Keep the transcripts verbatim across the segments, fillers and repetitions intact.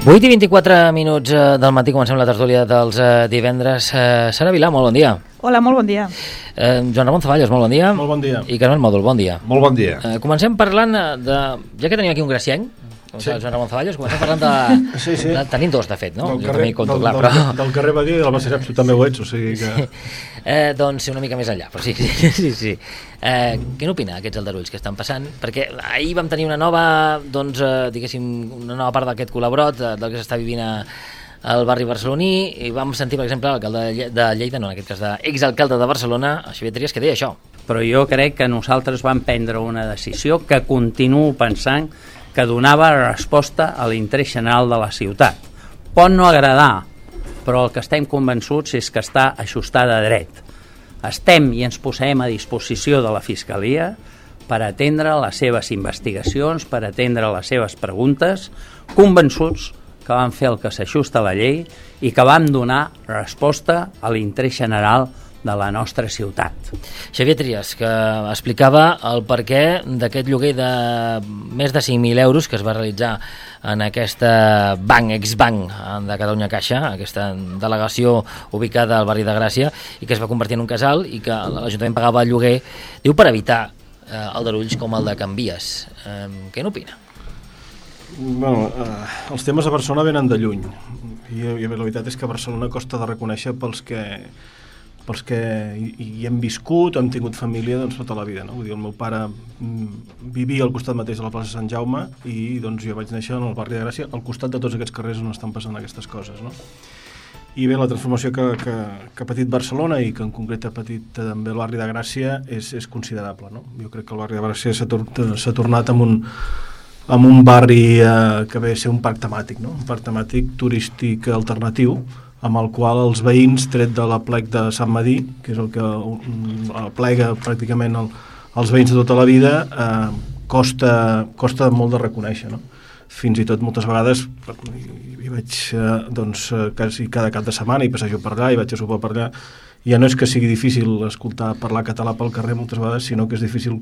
vuit i vint-i-quatre minuts del matí, comencem la tertúlia dels divendres. Sara Vilà, molt bon dia. Hola, molt bon dia. Eh, Joan Ramon Zaballos, molt bon dia. Molt bon dia. I Carmen Mòdol, bon dia. Molt bon dia. Eh, comencem parlant de... Ja que tenim aquí un gracienc, sí. Joan Ramon Zaballos, comencem parlant de... Sí, sí. de... Tenim dos, de fet, no? Del jo carrer, també hi conto, del, clar, del, però... del carrer Badia i del Macereps, tu també ho ets, o sigui que... Sí. Eh, doncs una mica més enllà, però sí, sí, sí. sí. Eh, què n'opina aquests aldarulls que estan passant? Perquè ahir vam tenir una nova, doncs, eh, diguéssim, una nova part d'aquest col·laborat, eh, del que s'està vivint a, al barri barceloní, i vam sentir, per exemple, l'alcalde de Lleida, no, en aquest cas d'exalcalde de Barcelona, Xavier Trias, que deia això. Però jo crec que nosaltres vam prendre una decisió que continuo pensant que donava resposta a l'interès general de la ciutat. Pot no agradar, però el que estem convençuts és que està ajustada a dret. Estem i ens posem a disposició de la Fiscalia per atendre les seves investigacions, per atendre les seves preguntes, convençuts que vam fer el que s'ajusta a la llei i que vam donar resposta a l'interès general de la nostra ciutat. Xavier Trias, que explicava el perquè d'aquest lloguer de més de cinc mil euros que es va realitzar en aquesta banc, exbanc de Catalunya Caixa, aquesta delegació ubicada al barri de Gràcia, i que es va convertir en un casal i que l'Ajuntament pagava el lloguer, diu, per evitar eh, aldarulls com el de Can Vies. Eh, què n'opina? Bueno, eh, els temes a Barcelona venen de lluny i, i la veritat és que a Barcelona costa de reconèixer pels que pels que hi, hi hem viscut o hem tingut família doncs, tota la vida, no? Vull dir, el meu pare mm, vivia al costat mateix de la plaça Sant Jaume i doncs, jo vaig néixer en el barri de Gràcia al costat de tots aquests carrers on estan passant aquestes coses, no? I bé, la transformació que, que, que ha patit Barcelona i que en concret ha patit també el barri de Gràcia és, és considerable, no? Jo crec que el barri de Gràcia s'ha tor s'ha tornat amb un amb un barri eh, que ve a ser un parc temàtic, no? Un parc temàtic turístic alternatiu, amb el qual els veïns, tret de la plec de Sant Madí, que és el que plega pràcticament el, els veïns de tota la vida, eh, costa, costa molt de reconèixer, no? Fins i tot moltes vegades hi, hi vaig eh, doncs, quasi cada cap de setmana i passejo per allà i vaig a sopar per allà. Ja no és que sigui difícil escoltar parlar català pel carrer moltes vegades, sinó que és difícil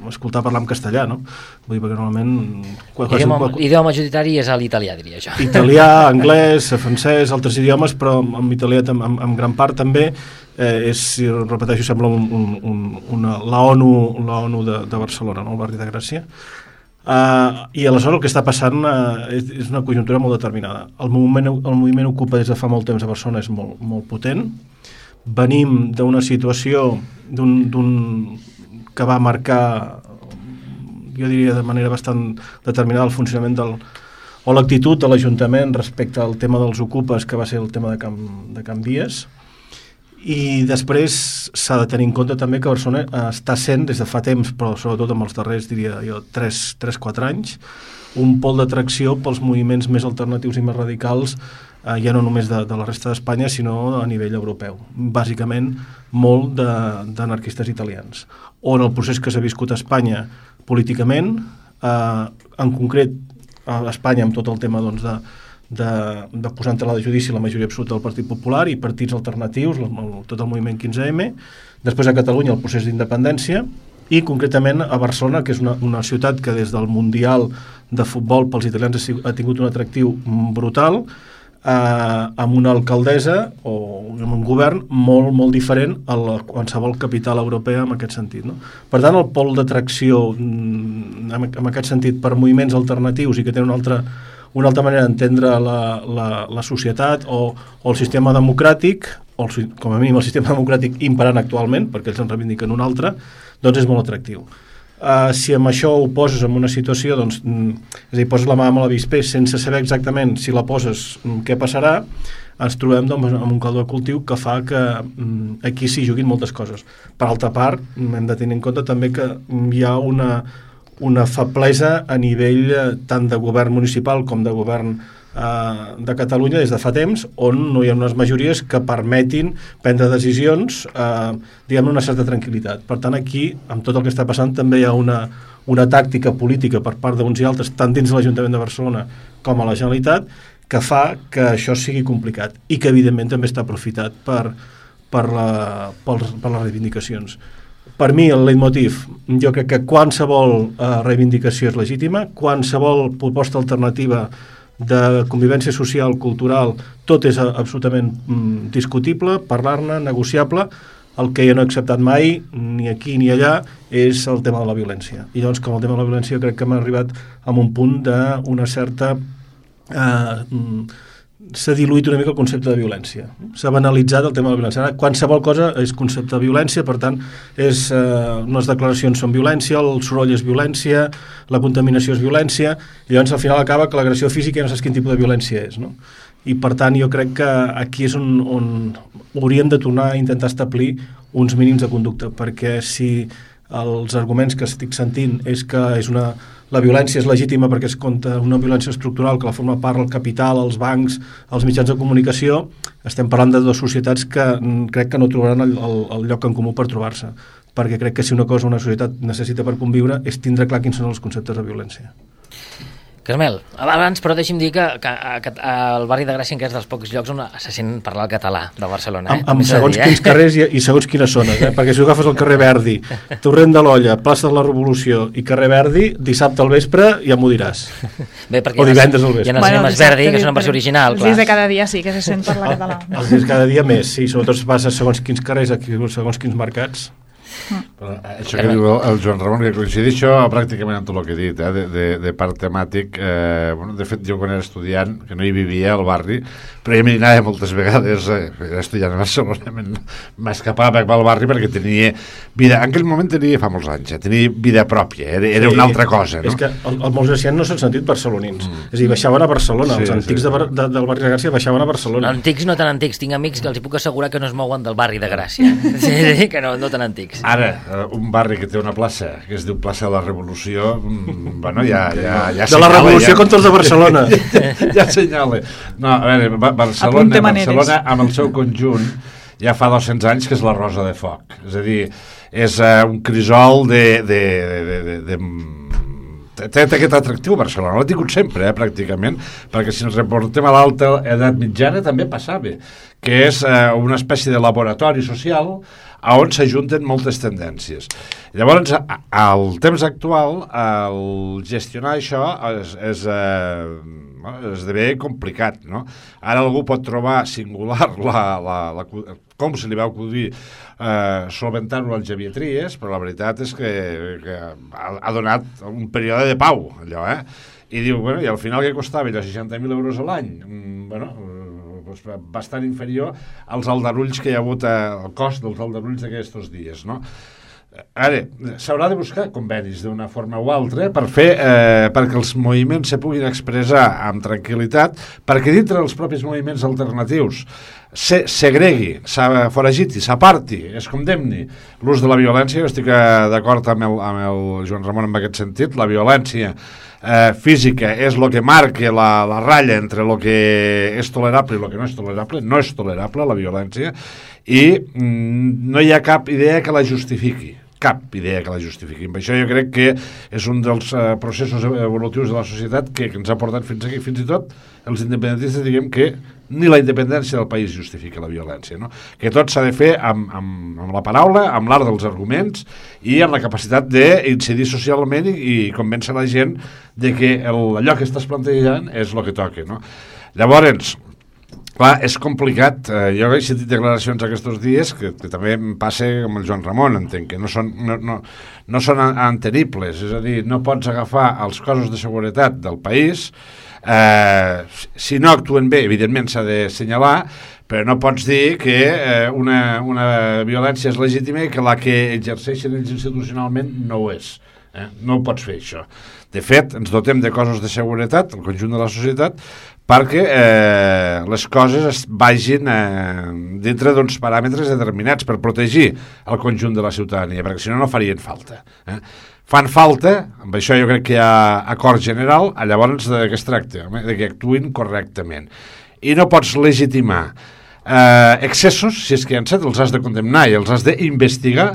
escoltar parlar en castellà, no? Vull dir, perquè normalment... Idioma, idioma majoritari és l'italià, diria jo. Italià, anglès, francès, altres idiomes, però en italià en, en gran part també eh, és, si repeteixo, sembla un, un, un, una, la ONU, la ONU de, de Barcelona, no? El barri de Gràcia. Uh, I aleshores el que està passant uh, és, és una conjuntura molt determinada. El moviment, el moviment Ocupa des de fa molt temps a Barcelona és molt, molt potent. Venim d'una situació d'un que va marcar, jo diria de manera bastant determinada, el funcionament del, o l'actitud de l'Ajuntament respecte al tema dels ocupes, que va ser el tema de Can, de Can Vies. I després s'ha de tenir en compte també que Barcelona està sent des de fa temps, però sobretot amb els darrers, diria jo, tres quatre anys, un pol d'atracció pels moviments més alternatius i més radicals, eh, ja no només de, de la resta d'Espanya, sinó a nivell europeu. Bàsicament, molt d'anarquistes italians. On el procés que s'ha viscut a Espanya políticament, eh, en concret a Espanya amb tot el tema doncs, de, de, de posar en tela de judici la majoria absoluta del Partit Popular i partits alternatius, el, el, tot el moviment quinze eme, després a Catalunya el procés d'independència, i concretament a Barcelona, que és una, una ciutat que des del Mundial de Futbol pels italians ha tingut un atractiu brutal, eh, amb una alcaldessa o amb un govern molt, molt diferent a la, qualsevol capital europea en aquest sentit, no? Per tant, el pol d'atracció en, en aquest sentit per moviments alternatius i que tenen una altra, una altra manera d'entendre la, la, la societat o, o el sistema democràtic, o el, com a mínim el sistema democràtic imperant actualment, perquè ells en reivindiquen un altre, doncs és molt atractiu. Uh, si amb això ho poses en una situació, doncs, mm, és a dir, poses la mà amb l'avispé sense saber exactament si la poses, mm, què passarà, ens trobem doncs, amb un caldo de cultiu que fa que mm, aquí s'hi juguin moltes coses. Per altra part, mm, hem de tenir en compte també que mm, hi ha una, una feblesa a nivell eh, tant de govern municipal com de govern de Catalunya des de fa temps, on no hi ha unes majories que permetin prendre decisions eh, diguem-ne una certa tranquil·litat. Per tant, aquí, amb tot el que està passant, també hi ha una, una tàctica política per part d'uns i altres, tant dins l'Ajuntament de Barcelona com a la Generalitat, que fa que això sigui complicat i que evidentment també està aprofitat per, per, la, per, per les reivindicacions. Per mi el leitmotiv, jo crec que qualsevol eh, reivindicació és legítima, qualsevol proposta alternativa de convivència social, cultural, tot és absolutament mm, discutible, parlar-ne, negociable. El que jo no he acceptat mai, ni aquí ni allà, és el tema de la violència. I llavors, com el tema de la violència, jo crec que hem arribat a un punt d'una certa... Eh, s'ha diluït una mica el concepte de violència. S'ha banalitzat el tema de la violència. Ara, qualsevol cosa és concepte de violència, per tant, és, eh, les declaracions són violència, el soroll és violència, la contaminació és violència, i llavors al final acaba que l'agressió física ja no saps quin tipus de violència és, no? I per tant jo crec que aquí és on, on hauríem de tornar a intentar establir uns mínims de conducta, perquè si els arguments que estic sentint és que és una, la violència és legítima perquè es contra una violència estructural que la forma part el capital, els bancs, els mitjans de comunicació, estem parlant de dues societats que crec que no trobaran el, el, el lloc en comú per trobar-se, perquè crec que si una cosa una societat necessita per conviure és tindre clar quins són els conceptes de violència. Carmel, abans, però deixi'm dir que, que, que el barri de Gràcia encara és dels pocs llocs on se sent parlar el català de Barcelona. Eh? Amb, amb segons dir, eh? quins carrers i, i segons quines zones, eh? Perquè si agafes el carrer Verdi, Torrent de l'Olla, plaça de la Revolució i carrer Verdi, dissabte al vespre ja m'ho diràs. Bé, o divendres al vespre. Hi ha els cinemes Verdi, que són en versió original. Els dies de cada dia sí que se sent parlar català. Els dies cada dia més, sí, sobretot es passa segons quins carrers, segons quins mercats. Però això que diu el Joan Ramon, que coincideix això pràcticament amb tot el que he dit, eh, de, de, de part temàtic. Eh, bueno, de fet, jo quan era estudiant, que no hi vivia al barri, però ja m'hi anava moltes vegades, eh, era estudiant a Barcelona, m'escapava al barri perquè tenia vida, en aquell moment tenia, fa molts anys, eh, tenia vida pròpia, era, era sí, una altra cosa, no? És que el, el molts gracians no s'han sentit barcelonins, mm. és a dir, baixaven a Barcelona, sí, els antics sí. de, de, del barri de Gràcia baixaven a Barcelona. Antics no tan antics, tinc amics que els hi puc assegurar que no es mouen del barri de Gràcia, sí, que no, no tan antics. Ara, un barri que té una plaça que es diu plaça de la Revolució, bueno, ja, ja, ja de la Revolució ja, contra els de Barcelona ja, ja senyala. No, a veure, Barcelona, Barcelona amb el seu conjunt ja fa dos-cents anys que és la Rosa de Foc, és a dir, és uh, un crisol de, de, de, de, de té aquest atractiu Barcelona, l'ha tingut sempre, eh, pràcticament, perquè si ens reportem a l'alta edat mitjana també passava, que és eh, una espècie de laboratori social on s'ajunten moltes tendències. Llavors, al temps actual, el gestionar això és, és, eh, esdevé complicat, no? Ara algú pot trobar singular la, la, la, com se li va acudir eh, solventar-ho al Xavier Trias, però la veritat és que, que ha, ha donat un període de pau, allò, eh? I diu, bueno, i al final què costava? Allò seixanta mil euros a l'any? Mm, bueno, doncs bastant inferior als aldarulls que hi ha hagut, el cost dels aldarulls d'aquests dies, no? Ara, s'haurà de buscar convenis d'una forma o altra per fer, eh, perquè els moviments se puguin expressar amb tranquil·litat, perquè dintre dels propis moviments alternatius se segregui, foragiti, s'aparti, es condemni l'ús de la violència. Jo estic d'acord amb, el, amb el Joan Ramon en aquest sentit. La violència eh, física és el que marca la, la ratlla entre el que és tolerable i el que no és tolerable. No és tolerable la violència i mm, no hi ha cap idea que la justifiqui. cap idea que la justifiqui. Per això jo crec que és un dels uh, processos evolutius de la societat que, que ens ha portat fins aquí. Fins i tot els independentistes diguem que ni la independència del país justifica la violència, no? Que tot s'ha de fer amb, amb, amb la paraula, amb l'art dels arguments i amb la capacitat d'incidir socialment i, i convèncer la gent de que el, allò que estàs plantejant és el que toca, no? Llavors, clar, és complicat. Eh, jo he sentit declaracions aquests dies que, que també em passa amb el Joan Ramon, entenc, que no són, no, no, no són entenibles, és a dir, no pots agafar els cossos de seguretat del país, eh, si no actuen bé, evidentment s'ha de assenyalar, però no pots dir que eh, una, una violència és legítima i que la que exerceixen ells institucionalment no ho és. Eh? No ho pots fer, això. De fet, ens dotem de cossos de seguretat, el conjunt de la societat, perquè eh, les coses es vagin eh, dintre d'uns paràmetres determinats per protegir el conjunt de la ciutadania, perquè si no, no farien falta. Eh? Fan falta, amb això jo crec que hi ha acord general, llavors de què es tracta? De que actuïn correctament. I no pots legitimar eh, excessos, si és que hi ha set, els has de condemnar i els has d'investigar,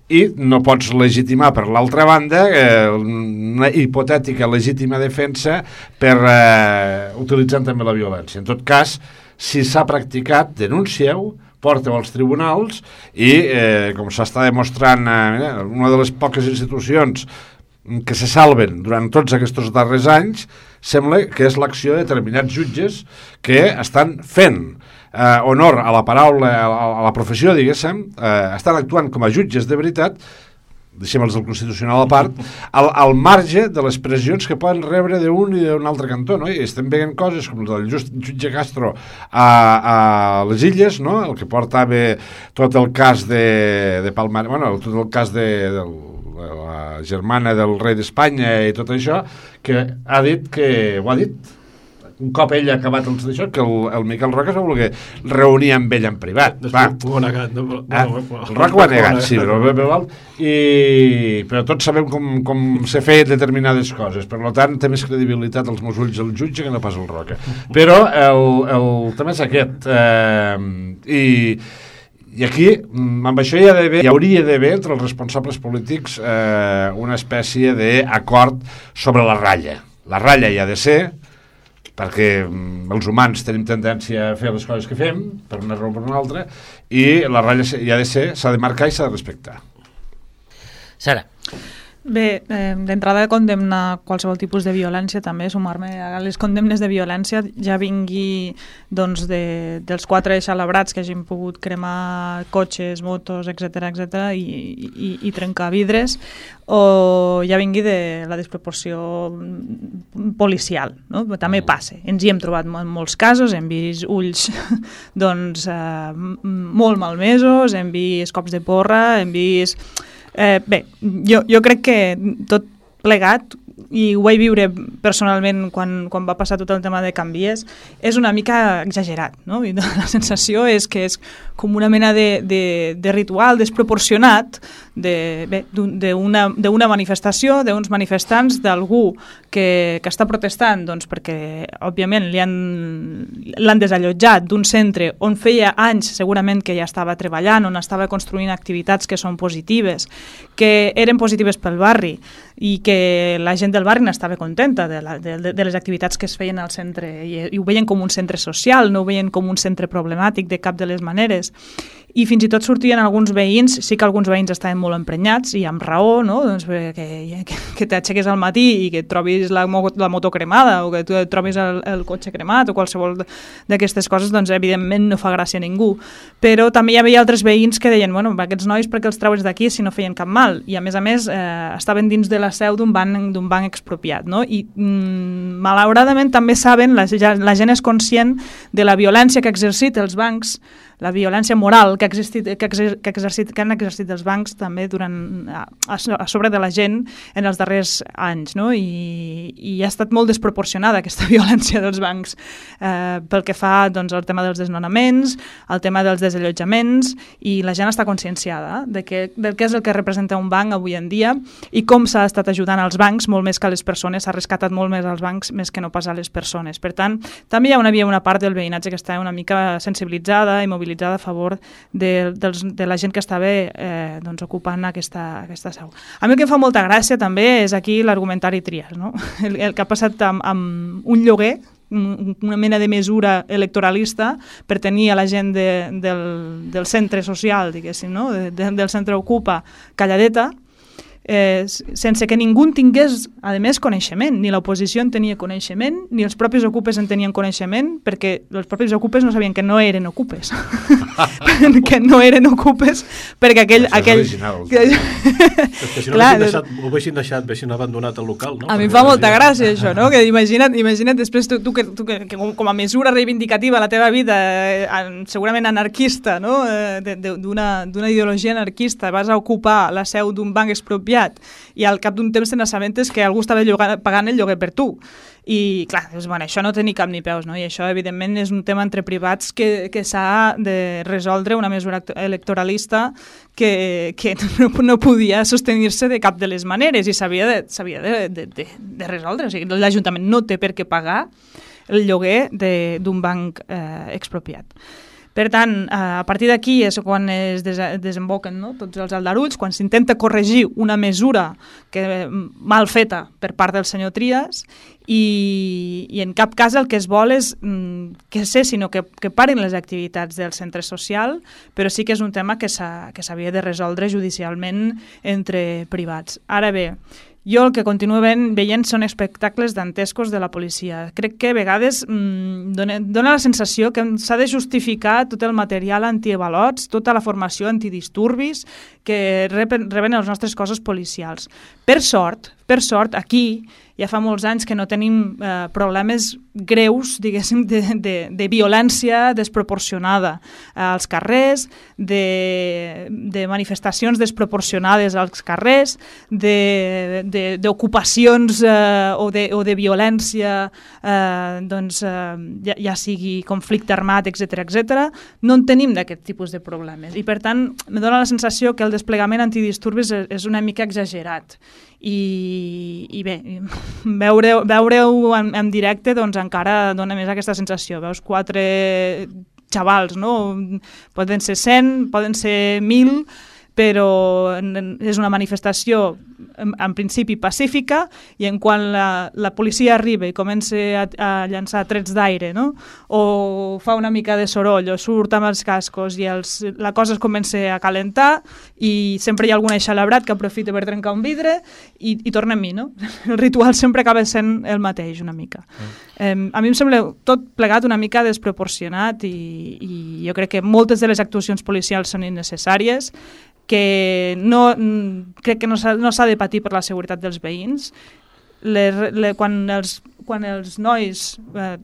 i no pots legitimar per l'altra banda eh, una hipotètica legítima defensa per eh, utilitzant també la violència. En tot cas, si s'ha practicat, denuncieu, porteu als tribunals i, eh, com s'està demostrant, eh, una de les poques institucions que se salven durant tots aquests darrers anys sembla que és l'acció de determinats jutges que estan fent eh, honor a la paraula, a la, a la professió, diguéssim, eh, estan actuant com a jutges de veritat, deixem els del Constitucional a part, al, al marge de les pressions que poden rebre d'un i d'un altre cantó, no? I estem veient coses com el del just, jutge Castro a, a les Illes, no? El que portava tot el cas de, de Palmar, bueno, tot el cas de, del la germana del rei d'Espanya i tot això, que ha dit que, ho ha dit, un cop ell ha acabat els d'això, que el, el Miquel Roca es va voler reunir amb ell en privat. Després ho ha negat. No? Ah, el Roca ho ha negat, sí, però, però, i, però tots sabem com, com s'ha fet determinades coses, per tant té més credibilitat als meus ulls el jutge que no pas el Roca. Però el, el tema és aquest, eh, i I aquí, amb això hi, ha d'haver, hi hauria d'haver entre els responsables polítics eh, una espècie d'acord sobre la ratlla. La ratlla hi ha de ser, perquè els humans tenim tendència a fer les coses que fem, per una raó o per una altra, i la ratlla hi ha de ser, s'ha de marcar i s'ha de respectar. Sara. Bé, eh, d'entrada condemnar qualsevol tipus de violència, també sumar-me a les condemnes de violència, ja vingui doncs, de, dels quatre celebrats que hagin pogut cremar cotxes, motos, etcètera, etcètera, i, i, i trencar vidres, o ja vingui de la desproporció policial, no? També passa, ens hi hem trobat en molts casos, hem vist ulls doncs, eh, molt malmesos, hem vist cops de porra, hem vist... Eh, bé, jo, jo crec que tot plegat, i ho vaig viure personalment quan, quan va passar tot el tema de canvies, és una mica exagerat, no? I la sensació és que és com una mena de, de, de ritual desproporcionat d'una manifestació, d'uns manifestants, d'algú que, que està protestant, doncs perquè, òbviament, l'han desallotjat d'un centre on feia anys segurament que ja estava treballant, on estava construint activitats que són positives, que eren positives pel barri, i que la gent del barri n'estava contenta de, la, de, de les activitats que es feien al centre, i, i ho veien com un centre social, no ho veien com un centre problemàtic de cap de les maneres. I fins i tot sortien alguns veïns, sí que alguns veïns estaven molt emprenyats, i amb raó, no? Doncs que, que, que t'aixeques al matí i que et trobis la, la moto cremada, o que tu et trobis el, el cotxe cremat, o qualsevol d'aquestes coses, doncs evidentment no fa gràcia a ningú. Però també hi havia altres veïns que deien, bueno, aquests nois perquè els traues d'aquí si no feien cap mal, i a més a més eh, estaven dins de la seu d'un banc, d'un banc expropiat, no? I mm, malauradament també saben, la, la gent és conscient de la violència que ha exercit els bancs, la violència moral que, ha existit, que, exer, que, exercit, que han exercit els bancs també durant, a, a sobre de la gent en els darrers anys, no? I, i ha estat molt desproporcionada aquesta violència dels bancs eh, pel que fa doncs, al tema dels desnonaments, al tema dels desallotjaments, i la gent està conscienciada de que, del que és el que representa un banc avui en dia i com s'ha estat ajudant als bancs molt més que a les persones, s'ha rescatat molt més als bancs més que no pas a les persones. Per tant, també hi ha una, havia una part del veïnatge que està una mica sensibilitzada i mobilitzada a favor de, dels, de la gent que estava eh, doncs, ocupant aquesta, aquesta seu. A mi el que em fa molta gràcia també és aquí l'argumentari Trias, no? el, el que ha passat amb, amb un lloguer, una mena de mesura electoralista per tenir a la gent de, del, del centre social, diguéssim, no? de, de, del centre Ocupa calladeta, Eh, sense que ningú en tingués, a més, coneixement. Ni l'oposició en tenia coneixement, ni els propis ocupes en tenien coneixement, perquè els propis ocupes no sabien que no eren ocupes. que no eren ocupes, perquè aquell... Això aquell... és original. Perquè si no Clar, deixat, ho haguessin deixat, haguessin abandonat el local, no? A mi em fa molta gràcia això, no? Que imagina't, imagina't després tu, tu, que, tu que, que com a mesura reivindicativa a la teva vida, eh, segurament anarquista, no? Eh, d'una ideologia anarquista, vas a ocupar la seu d'un banc expropiat i al cap d'un temps te n'assabentes que algú estava llogant, pagant el lloguer per tu. I clar, doncs, bueno, això no té ni cap ni peus, no? I això evidentment és un tema entre privats que, que s'ha de resoldre, una mesura electoralista que, que no, no podia sostenir-se de cap de les maneres i s'havia de, s'havia de, de, de, de resoldre. O sigui, l'Ajuntament no té per què pagar el lloguer d'un banc eh, expropiat. Per tant, a partir d'aquí és quan es desemboquen, no? Tots els aldarulls, quan s'intenta corregir una mesura que, mal feta per part del senyor Trias, i, i en cap cas el que es vol és mm, que sé, sinó que, que parin les activitats del centre social, però sí que és un tema que s'havia de resoldre judicialment entre privats. Ara bé, jo el que continuo veient, veient són espectacles dantescos de la policia. Crec que a vegades mmm, dona, dona la sensació que s'ha de justificar tot el material antiavalots, tota la formació antidisturbis que reben, reben els nostres cossos policials. Per sort, per sort, aquí ja fa molts anys que no tenim eh, problemes greus, diguéssim, de, de, de violència desproporcionada als carrers, de, de manifestacions desproporcionades als carrers, d'ocupacions eh, o, de, o de violència, eh, doncs, eh, ja, ja sigui conflicte armat, etcètera, etcètera. No en tenim d'aquest tipus de problemes. I, per tant, me dóna la sensació que el desplegament antidisturbis és una mica exagerat. I, i bé, veure-ho veure en, en directe doncs encara dona més aquesta sensació. Veus quatre xavals, no? Poden ser cent, poden ser mil, però és una manifestació en, en principi pacífica, i en quan la, la policia arriba i comença a, a llançar trets d'aire, no? O fa una mica de soroll o surt amb els cascos i els, la cosa es comença a calentar i sempre hi ha algun eixelebrat que aprofita per trencar un vidre i, i torna a mi, no? El ritual sempre acaba sent el mateix una mica. Mm. Eh, a mi em sembla tot plegat una mica desproporcionat i, i jo crec que moltes de les actuacions policials són innecessàries, que no, crec que no s'ha no s'ha de patir per la seguretat dels veïns. Le, le, quan, els, quan els nois eh,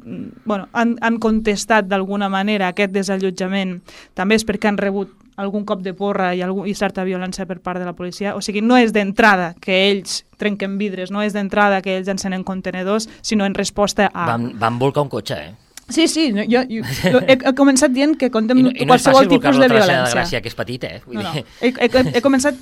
bueno, han, han contestat d'alguna manera aquest desallotjament, també és perquè han rebut algun cop de porra i, algun, i certa violència per part de la policia. O sigui, no és d'entrada que ells trenquen vidres, no és d'entrada que ells encenen contenedors, sinó en resposta a... Van, van volcar un cotxe, eh? Sí, sí, jo, jo, jo he, he començat dient que condemno I no, i no qualsevol tipus de violència. De Gràcia, que és petit, eh? Vull no, dir... no. He, he, he començat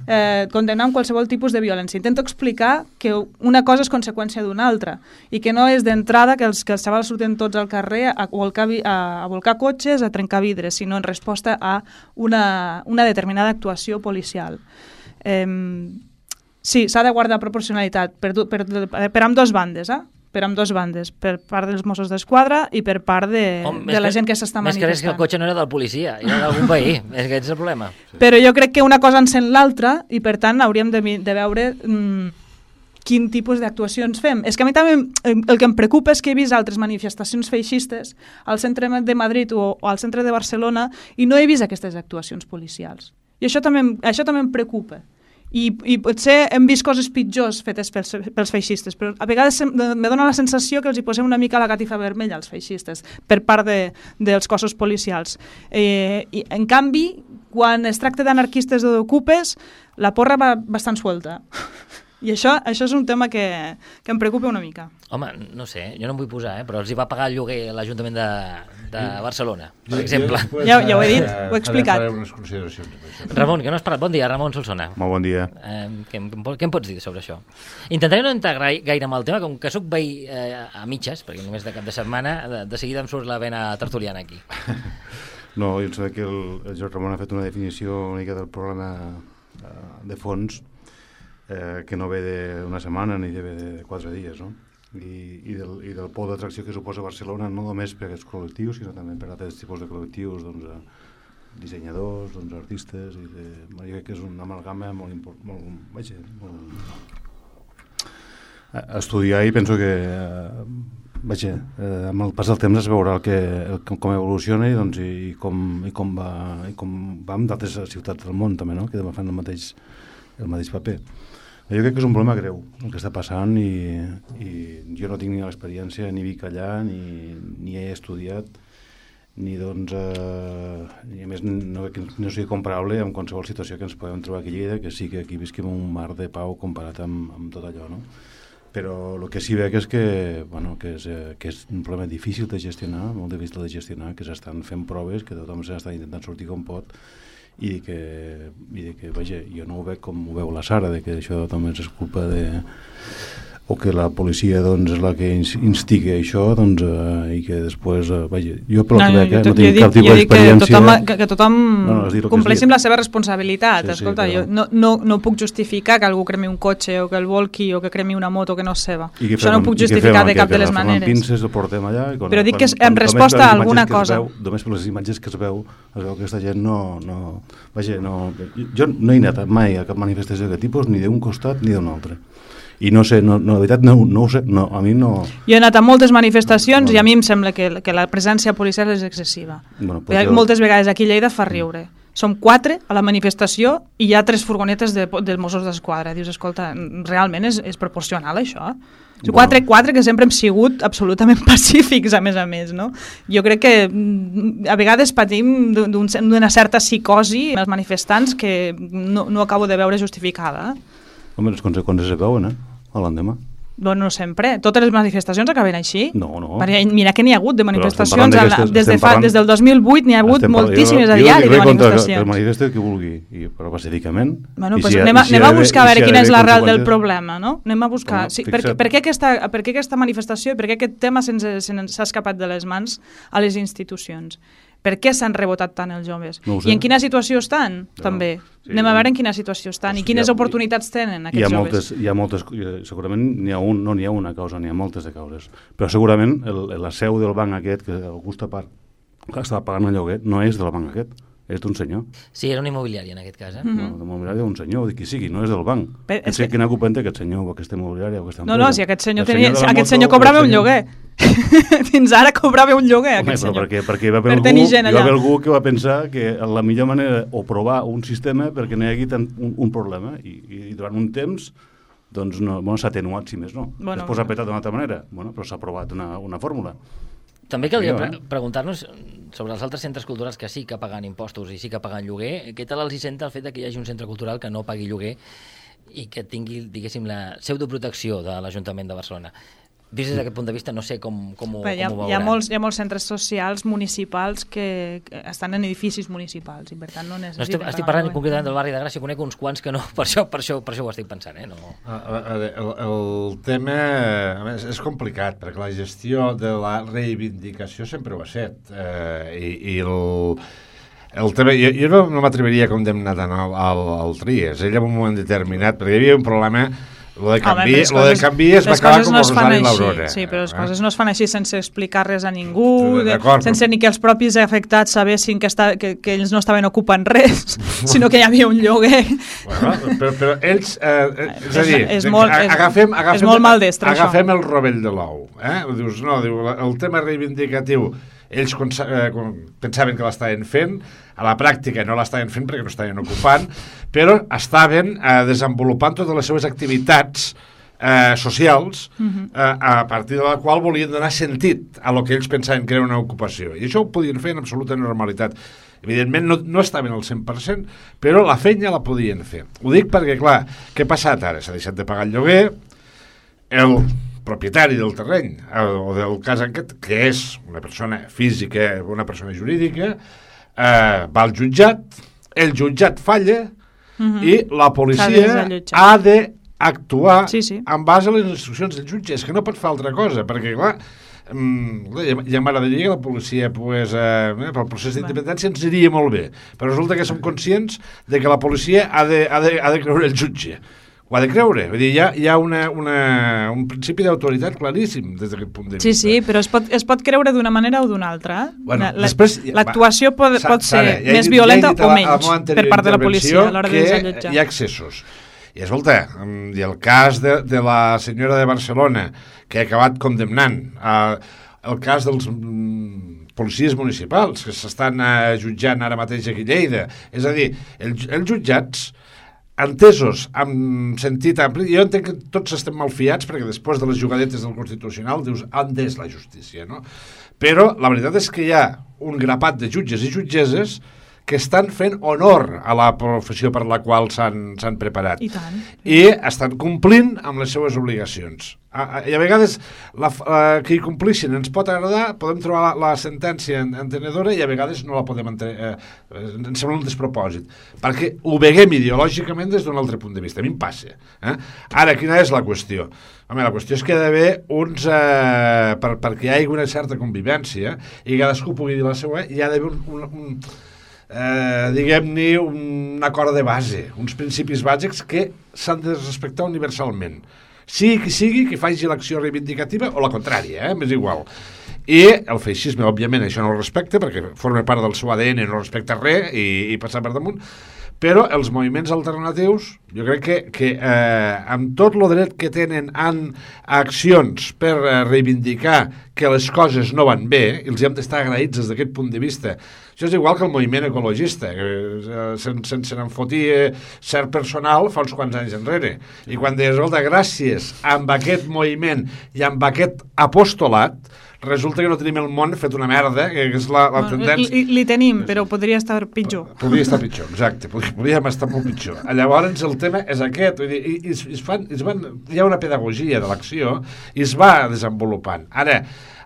eh, condemnant qualsevol tipus de violència. Intento explicar que una cosa és conseqüència d'una altra i que no és d'entrada que els, que els xavals surten tots al carrer a volcar, a, a volcar cotxes, a trencar vidres, sinó en resposta a una, una determinada actuació policial. Eh, sí, s'ha de guardar proporcionalitat per, per, per, per amb dues bandes, eh? per amb dues bandes, per part dels Mossos d'Esquadra i per part de, Home, de la gent que s'està manifestant. Més que res que el cotxe no era del policia, era d'algun veí, és que és el problema. Però jo crec que una cosa encén l'altra i per tant hauríem de, de veure mmm, quin tipus d'actuacions fem. És que a mi també el que em preocupa és que he vist altres manifestacions feixistes al centre de Madrid o, o al centre de Barcelona i no he vist aquestes actuacions policials. I això també, això també em preocupa. I, i potser hem vist coses pitjors fetes pels, pels feixistes, però a vegades me dóna la sensació que els hi posem una mica la catifa vermella als feixistes per part de, dels cossos policials. Eh, i, en canvi, quan es tracta d'anarquistes o d'ocupes, la porra va bastant suelta. I això, això és un tema que, que em preocupa una mica. Home, no sé, jo no em vull posar, eh, però els hi va pagar el lloguer l'Ajuntament de, de Barcelona, per exemple. Ja, ja ho he dit, ho he explicat. Ramon, que no has parlat. Bon dia, Ramon Solsona. Molt bon dia. Eh, què, què em pots dir sobre això? Intentaré no entrar gaire amb el tema, com que sóc veí eh, a mitges, perquè només de cap de setmana, de, de seguida em surt la vena tertuliana aquí. No, jo em sembla que el, el Jordi Ramon ha fet una definició una mica del problema eh, de fons, Eh, que no ve d'una setmana ni ve de quatre dies, no? I, i, del, i del pol d'atracció que suposa Barcelona, no només per aquests col·lectius, sinó també per altres tipus de col·lectius, doncs, dissenyadors, doncs, artistes, i de, jo crec que és una amalgama molt important, molt, molt, a estudiar, i penso que eh, vaja, eh, amb el pas del temps es veurà el que, el, com evoluciona i, doncs, i, com, i, com va, i com va amb d'altres ciutats del món també, no? Que fan el mateix, el mateix paper. Jo crec que és un problema greu el que està passant i, i jo no tinc ni l'experiència, ni vic allà, ni, ni he estudiat, ni doncs, eh, ni a més no, no sigui comparable amb qualsevol situació que ens podem trobar aquí a Lleida, que sí que aquí visquem un mar de pau comparat amb, amb tot allò, no? Però el que sí veig és que, bueno, que, és, eh, que és un problema difícil de gestionar, molt difícil de gestionar, que s'estan fent proves, que tothom s'està intentant sortir com pot, i que, i de que, vaja, jo no ho veig com ho veu la Sara, de que això també és culpa de, o que la policia doncs, és la que instiga això, doncs, eh, i que després, eh, vaja, jo pel no, que veig, eh, no tinc cap tipus d'experiència... Que tothom, que, que tothom no, no, compleixin la seva responsabilitat. Sí, Escolta, sí, jo no, no, no puc justificar que algú cremi un cotxe o que el volqui o que cremi una moto que no és seva. Això no ho puc justificar de cap de les maneres. Pinces, el portem allà, i quan, però dic que quan, en resposta a alguna cosa... Veu, només per les imatges que es veu, es veu que aquesta gent no... no vaja, no, jo no he anat mai a cap manifestació d'aquest tipus, ni d'un costat ni d'un altre. I no sé, no, no, de veritat no, no ho sé, no, a mi no... Jo he anat a moltes manifestacions no, no. i a mi em sembla que, que la presència policial és excessiva. Bueno, pues jo... Moltes vegades aquí a Lleida fa riure. Som quatre a la manifestació i hi ha tres furgonetes de, de Mossos d'Esquadra. Dius, escolta, realment és, és proporcional això? Bueno. Quatre, quatre que sempre hem sigut absolutament pacífics, a més a més, no? Jo crec que a vegades patim d'una certa psicosi els manifestants que no, no acabo de veure justificada. Home, les conseqüències es veuen, eh? A l'endemà. Bueno, no sempre. Totes les manifestacions acaben així. No, no. Perquè mira que n'hi ha hagut de manifestacions. De la, des, de fa, des del dos mil vuit n'hi ha hagut moltíssimes a diari de manifestacions. Jo manifesto que vulgui, i, però pacíficament. Bueno, pues si anem, a, si anem a buscar a veure quina és l'arrel del problema, no? Anem a buscar. Sí, per, per, què aquesta, per què aquesta manifestació i per què aquest tema s'ha escapat de les mans a les institucions? Per què s'han rebotat tant els joves? No I en quina situació estan, no, també? Sí, Anem a veure en quina situació estan i quines ha, oportunitats tenen aquests hi ha joves. Moltes, hi ha moltes, segurament n'hi ha un, no n'hi ha una causa, n'hi ha moltes de causes. Però segurament el, la seu del banc aquest, que algú està, par, que està pagant el lloguer, no és del banc aquest. És d'un senyor. Sí, era un immobiliari en aquest cas, eh? Mm-hmm. No, l'immobiliari d'un senyor, o de qui sigui, no és del banc. Però, és que... Quina culpa té aquest senyor o aquesta immobiliària o aquesta empresa? No, no, si aquest senyor, tenia, senyor, aquest moto, senyor cobrava un lloguer. Fins ara cobrava un lloguer, Home, aquest senyor. Perquè, perquè hi va haver per algú, hi va haver algú que va pensar que la millor manera o provar un sistema perquè no hi hagi tant un, un problema i, i durant un temps doncs no, bueno, s'ha atenuat, si més no. Bueno, després s'ha petat d'una altra manera, bueno, però s'ha provat una, una fórmula. També caldria pre preguntar-nos sobre els altres centres culturals que sí que paguen impostos i sí que paguen lloguer. Què tal els hi senta el fet que hi hagi un centre cultural que no pagui lloguer i que tingui, diguéssim, la pseudoprotecció de l'Ajuntament de Barcelona? Des d'aquest punt de vista no sé com, com, ho, hi ha, com ho veuran. Hi ha, molts, hi ha molts centres socials municipals que, que estan en edificis municipals i per tant no necessiten... No estic, estic parlant concretament del barri de Gràcia, conec uns quants que no, per això, per això, per això ho estic pensant. Eh? No. El, el tema a més, és complicat perquè la gestió de la reivindicació sempre ho ha set eh, i, i el... El tema, jo, jo no, no m'atreviria a condemnar tant al, al, al Tries, ell en un moment determinat, perquè hi havia un problema. Lo de canvi, Home, lo de canvi es va acabar com no el Rosari i l'Aurora. Sí, però les eh? coses no es fan així sense explicar res a ningú, de, sense ni que els propis afectats sabessin que, està, que, que ells no estaven ocupant res, sinó que hi havia un lloguer. Bueno, però, però ells... Eh, és a dir, és, és molt, agafem, agafem, és molt maldestre, agafem això. el rovell de l'ou. Eh? Dius, no, diu, el tema reivindicatiu ells eh, pensaven que l'estaven fent, a la pràctica no l'estaven fent perquè no estaven ocupant, però estaven eh, desenvolupant totes les seves activitats eh, socials uh-huh. eh, a partir de la qual volien donar sentit a lo que ells pensaven que era una ocupació. I això ho podien fer en absoluta normalitat. Evidentment no, no estaven al cent per cent, però la feina la podien fer. Ho dic perquè, clar, què ha passat ara? S'ha deixat de pagar el lloguer, el propietari del terreny, o del cas aquest, que és una persona física, una persona jurídica, eh, va al jutjat, el jutjat falla uh-huh. i la policia ha d'actuar sí, sí. en base a les instruccions del jutge. És que no pot fer altra cosa, perquè, clar, mm, ja m'agradaria que la policia, pues, eh, pel procés d'independència ens iria molt bé, però resulta que som conscients de que la policia ha de, ha de, ha de creure el jutge. Ho ha de creure. Vull dir, hi ha, hi ha una, una, un principi d'autoritat claríssim des d'aquest punt de vista. Sí, sí, però es pot, es pot creure d'una manera o d'una altra. Bueno, l'actuació pot, pot ser Sara, ja més dit, violenta ja o menys per part de la policia a l'hora de desallotjar. Hi ha excessos. I escolta, i el cas de, de la senyora de Barcelona, que ha acabat condemnant, eh, el cas dels mm, policies municipals, que s'estan eh, jutjant ara mateix aquí a Lleida. És a dir, el, els jutjats entesos amb sentit ampli, jo entenc que tots estem malfiats perquè després de les jugadetes del Constitucional dius, on és la justícia, no? Però la veritat és que hi ha un grapat de jutges i jutgeses que estan fent honor a la professió per la qual s'han preparat. I tant. I estan complint amb les seues obligacions. I a vegades la, la, que hi complixin ens pot agradar, podem trobar la, la sentència entenedora i a vegades no la podem entre, eh, ens sembla un despropòsit, perquè ho veiem ideològicament des d'un altre punt de vista. A mi em passa. Eh? Ara, quina és la qüestió? Home, la qüestió és que hi ha d'haver uns... Eh, per, perquè hi hagi una certa convivència i cadascú pugui dir la seva, hi ha d'haver un... un, un eh, diguem-ne, un acord de base, uns principis bàsics que s'han de respectar universalment. Sigui qui sigui, que faci l'acció reivindicativa o la contrària, eh? M'és igual. I el feixisme, òbviament, això no ho respecta, perquè forma part del seu A D N, no respecta res i, i passa per damunt. Però els moviments alternatius, jo crec que, que eh, amb tot el dret que tenen en accions per eh, reivindicar que les coses no van bé, i els hem d'estar agraïts des d'aquest punt de vista. Això és igual que el moviment ecologista, que eh, sense, sense n'en fotia cert personal fa uns quants anys enrere. I quan deies, escolta, gràcies amb aquest moviment i amb aquest apostolat, resulta que no tenim el món fet una merda, que és la, la tendència... Li, li tenim, però podria estar pitjor. Podria estar pitjor, exacte, podríem estar molt pitjor. Llavors el tema és aquest, vull dir, i, i, es fan, es van, hi ha una pedagogia de l'acció i es va desenvolupant. Ara,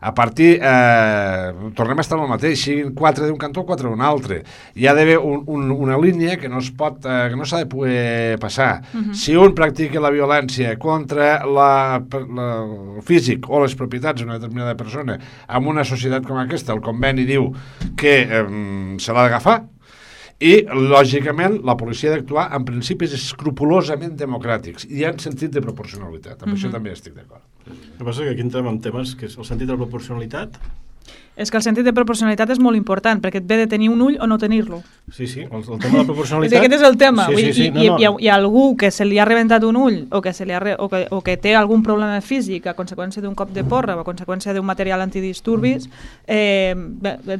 a partir, eh, tornem a estar en el mateix, siguin quatre d'un cantó o quatre d'un altre. Hi ha d'haver un, un, una línia que no es pot, eh, que no s'ha de poder passar. Uh-huh. Si un practica la violència contra la, la, el físic o les propietats d'una determinada persona en una societat com aquesta, el conveni diu que eh, se l'ha d'agafar, i, lògicament, la policia ha d'actuar en principis escrupolosament democràtics i en sentit de proporcionalitat. Amb uh-huh. això també estic d'acord. El que passa és que aquí entrem en temes que és el sentit de la proporcionalitat. És que el sentit de proporcionalitat és molt important, perquè et ve de tenir un ull o no tenir-lo. Sí, sí, el, el tema de la proporcionalitat... és que aquest és el tema. Sí, sí, sí, I, no, i, no. Hi, ha, hi ha algú que se li ha rebentat un ull o que, se li ha re, o que, o que té algun problema físic a conseqüència d'un cop de porra o a conseqüència d'un material antidisturbis, eh,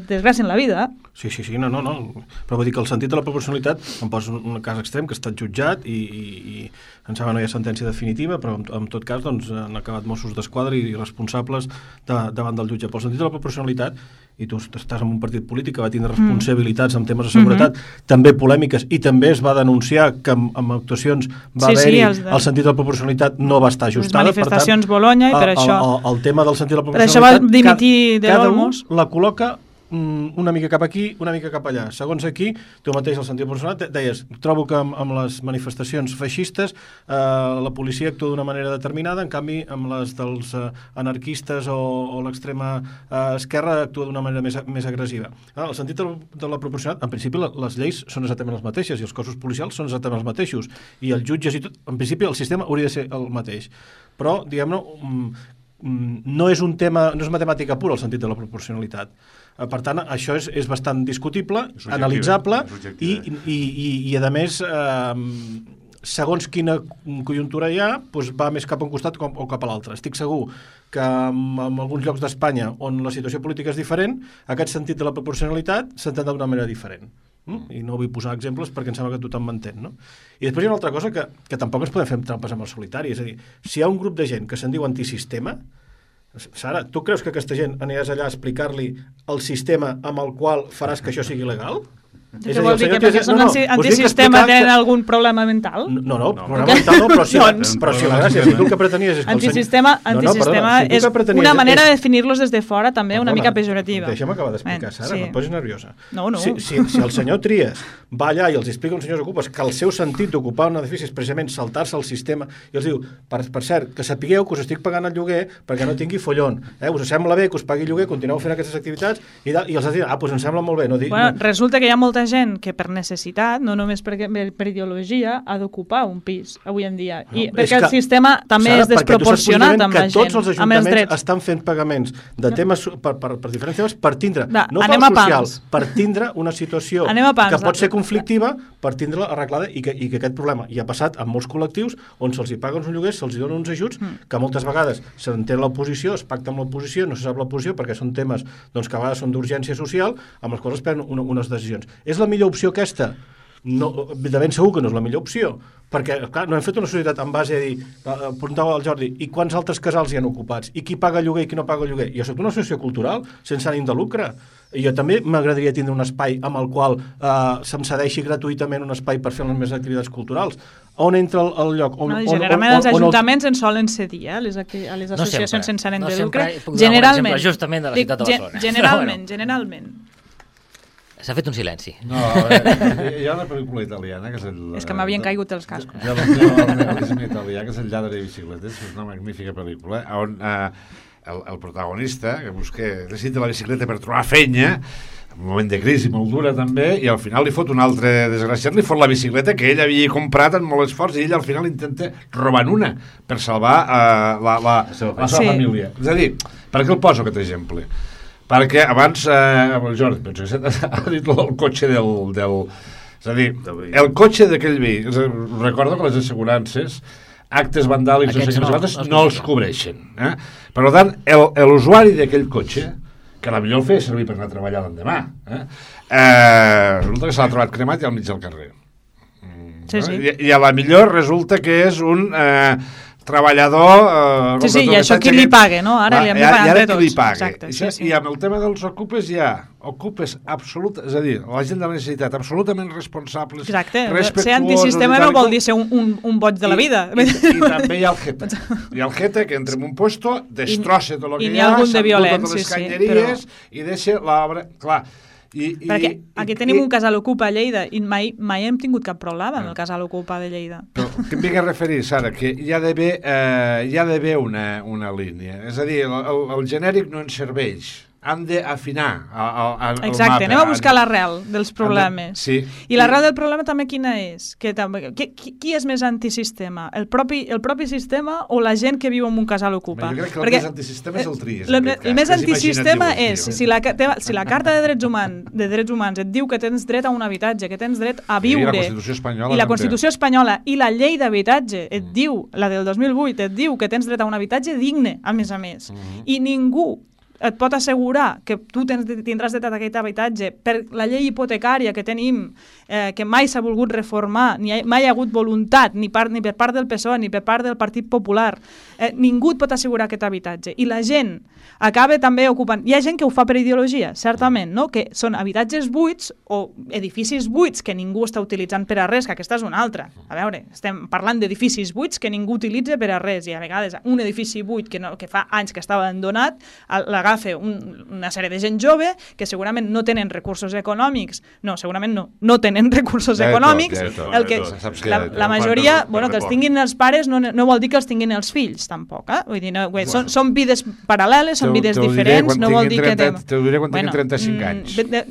desgracien la vida. Sí, sí, sí, no, no, no. Però vull dir que el sentit de la proporcionalitat, em poso un cas extrem que ha estat jutjat i, i, i em sembla no hi ha sentència definitiva, però en, en tot cas doncs, han acabat Mossos d'Esquadra i responsables de, davant del jutge. Però el sentit de la proporcionalitat, i tu estàs en un partit polític que va tindre responsabilitats en temes de seguretat, mm-hmm. també polèmiques, i també es va denunciar que en, en actuacions va sí, haver-hi sí, de... el sentit de la proporcionalitat no va estar ajustada. Les manifestacions per tant, Bologna i per el, això... El, el tema del sentit de la proporcionalitat... Per això va dimitir de cada l'Olmos. un la col·loca una mica cap aquí, una mica cap allà. Segons aquí, tu mateix el sentit personal, deies, trobo que amb, amb les manifestacions feixistes eh, la policia actua d'una manera determinada, en canvi amb les dels eh, anarquistes o, o l'extrema eh, esquerra actua d'una manera més, més agressiva. Ah, el sentit de la, de la proporcionalitat, en principi les lleis són exactament les mateixes i els cossos policials són exactament els mateixos i els jutges i tot, en principi el sistema hauria de ser el mateix. Però, diguem-ne, no és un tema, no és matemàtica pura el sentit de la proporcionalitat. Per tant, això és, és bastant discutible, és analitzable i, i, i, i, a més, eh, segons quina conjuntura hi ha, doncs va més cap a un costat com, o cap a l'altre. Estic segur que en, en alguns llocs d'Espanya on la situació política és diferent, aquest sentit de la proporcionalitat s'entén d'una manera diferent. Mm? I no vull posar exemples perquè em sembla que tothom m'entén, no? I després hi ha una altra cosa que, que tampoc ens podem fer trampes amb el solitari, és a dir, si hi ha un grup de gent que se'n diu antisistema, Sara, tu creus que aquesta gent aniràs allà a explicar-li el sistema amb el qual faràs que això sigui legal? Què vol dir? Que perquè són no, no, antisistema tenen que... algun problema mental? No, no, no problema no. mental no, però si, doncs, però si la gràcia, si tu el que pretenies... És que antisistema, senyor... antisistema no, no, perdona, si és una manera és... de definir-los des de fora també perdona, una mica pejorativa. Deixa'm acabar d'explicar, Sara, sí. no et posis nerviosa. No, no. Si, si, si el senyor Trias va allà i els explica a uns senyors ocupes que el seu sentit d'ocupar un edifici és precisament saltar-se el sistema i els diu, per, per cert, que sapigueu que us estic pagant el lloguer perquè no tingui follon, eh? Us sembla bé que us pagui lloguer, continueu fent aquestes activitats i, i els has dit, ah, doncs em sembla molt bé. No, bueno, no. Resulta que hi ha molta gent que per necessitat, no només per, per ideologia, ha d'ocupar un pis avui en dia. I no, perquè el sistema també Sara, és desproporcionat amb la gent, tots els ajuntaments estan fent pagaments de temes per, per, per diferents temes per tindre, da, no per social, per tindre una situació pans, que pot ser conflictiva per tindre-la arreglada i que, i que aquest problema hi ha passat en molts col·lectius on se'ls hi paguen uns lloguers, se'ls hi donen uns ajuts mm. que moltes vegades s'entén l'oposició, es pacta amb l'oposició, no se sap l'oposició perquè són temes doncs, que a vegades són d'urgència social amb els quals es prenen una, unes decisions. És la millor opció aquesta? no, de ben segur que no és la millor opció, perquè, clar, no hem fet una societat en base a dir, preguntava al Jordi, i quants altres casals hi han ocupats? I qui paga lloguer i qui no paga lloguer? Jo soc una associació cultural, sense ànim de lucre. I jo també m'agradaria tindre un espai amb el qual eh, se'm cedeixi gratuïtament un espai per fer les meves activitats culturals. On entra el, el lloc? On, no, on, generalment on, on, els ajuntaments on el... en solen cedir, eh, a les, a les associacions no sense ànim no de lucre. Generalment. Justament de la ciutat de Barcelona. Generalment, bueno. generalment. S'ha fet un silenci. No, eh, hi ha una pel·lícula italiana que és el... És que m'havien caigut els cascos. Hi ha el neorealisme italià, que és El lladre de bicicletes, és una magnífica pel·lícula, on eh, el, el protagonista, que busca, necessita la bicicleta per trobar feina, un moment de crisi molt dura també, i al final li fot un altre desgraciat, li fot la bicicleta que ell havia comprat amb molt esforç, i ell al final intenta robar una per salvar eh, la, la, la seva sí. família. És a dir, per què el poso aquest exemple? Perquè abans, eh, el Jordi, penso que ha dit el cotxe del... del és a dir, el cotxe d'aquell veí, recordo que les assegurances, actes vandàlics o segrets, no, no els cobreixen. Eh? Per tant, l'usuari d'aquell cotxe, que potser el feia servir per anar a treballar l'endemà, eh? Eh, resulta que s'ha trobat cremat i al mig del carrer. Sí, sí. I, I a la millor resulta que és un... Eh, treballador... Eh, sí, sí, i això qui li paga, no? Ara li hem de pagar entre tots. Li paga. Exacte, sí, sí. I amb el tema dels ocupes hi ha ocupes absolutes, és a dir, la gent de la necessitat absolutament responsables, exacte. respectuosos... Ser antisistema no vol dir ser un, un, un boig de la vida. I, i, i també hi ha el jeta. Hi ha el jeta que entra en un puesto, destrossa tot el que hi ha, s'endú totes les canyeries, sí, sí, i deixa l'obra... Clar, I, i, perquè aquí tenim i, un casal ocupa a Lleida i mai, mai hem tingut cap problema amb el casal ocupa de Lleida. Però que em vinc a referir, Sara, que hi ha d'haver eh, hi ha d'haver una, una línia. És a dir, el, el, el genèric no ens serveix. Han d'afinar el mapa. Exacte, anem a buscar l'arrel dels problemes. Sí. I l'arrel del problema també quina és? Que també, qui, qui és més antisistema? El propi, el propi sistema o la gent que viu en un casal ocupa? Jo crec que el Perquè, més antisistema és el Tries. El, el més antisistema és, si la, si la Carta de Drets Humans, de Drets Humans et diu que tens dret a un habitatge, que tens dret a viure, i la Constitució espanyola, i la Constitució espanyola i la llei d'habitatge et mm. diu, la del dos mil vuit, et diu que tens dret a un habitatge digne, a més a més. Mm -hmm. I ningú et pot assegurar que tu tens, tindràs dret a aquest habitatge per la llei hipotecària que tenim, eh, que mai s'ha volgut reformar, ni ha, mai hi ha hagut voluntat, ni, part, ni per part del P S O E, ni per part del Partit Popular. Eh, ningú et pot assegurar aquest habitatge. I la gent acaba també ocupant... Hi ha gent que ho fa per ideologia, certament, no? Que són habitatges buits o edificis buits que ningú està utilitzant per a res, que aquesta és una altra. A veure, estem parlant d'edificis buits que ningú utilitza per a res, i a vegades un edifici buit que, no, que fa anys que estava abandonat, l'agafa un, una sèrie de gent jove que segurament no tenen recursos econòmics, no, segurament no, no tenen recursos ja econòmics, tot, ja tot, el que, ja tot, la, la majoria, bueno, que els tinguin els pares no, no vol dir que els tinguin els fills, tampoc, eh? Vull dir, no, bueno, són, són vides paral·leles, són vides diferents, no vol dir que... Te ho diré quan tinguin trenta-cinc anys. De, de,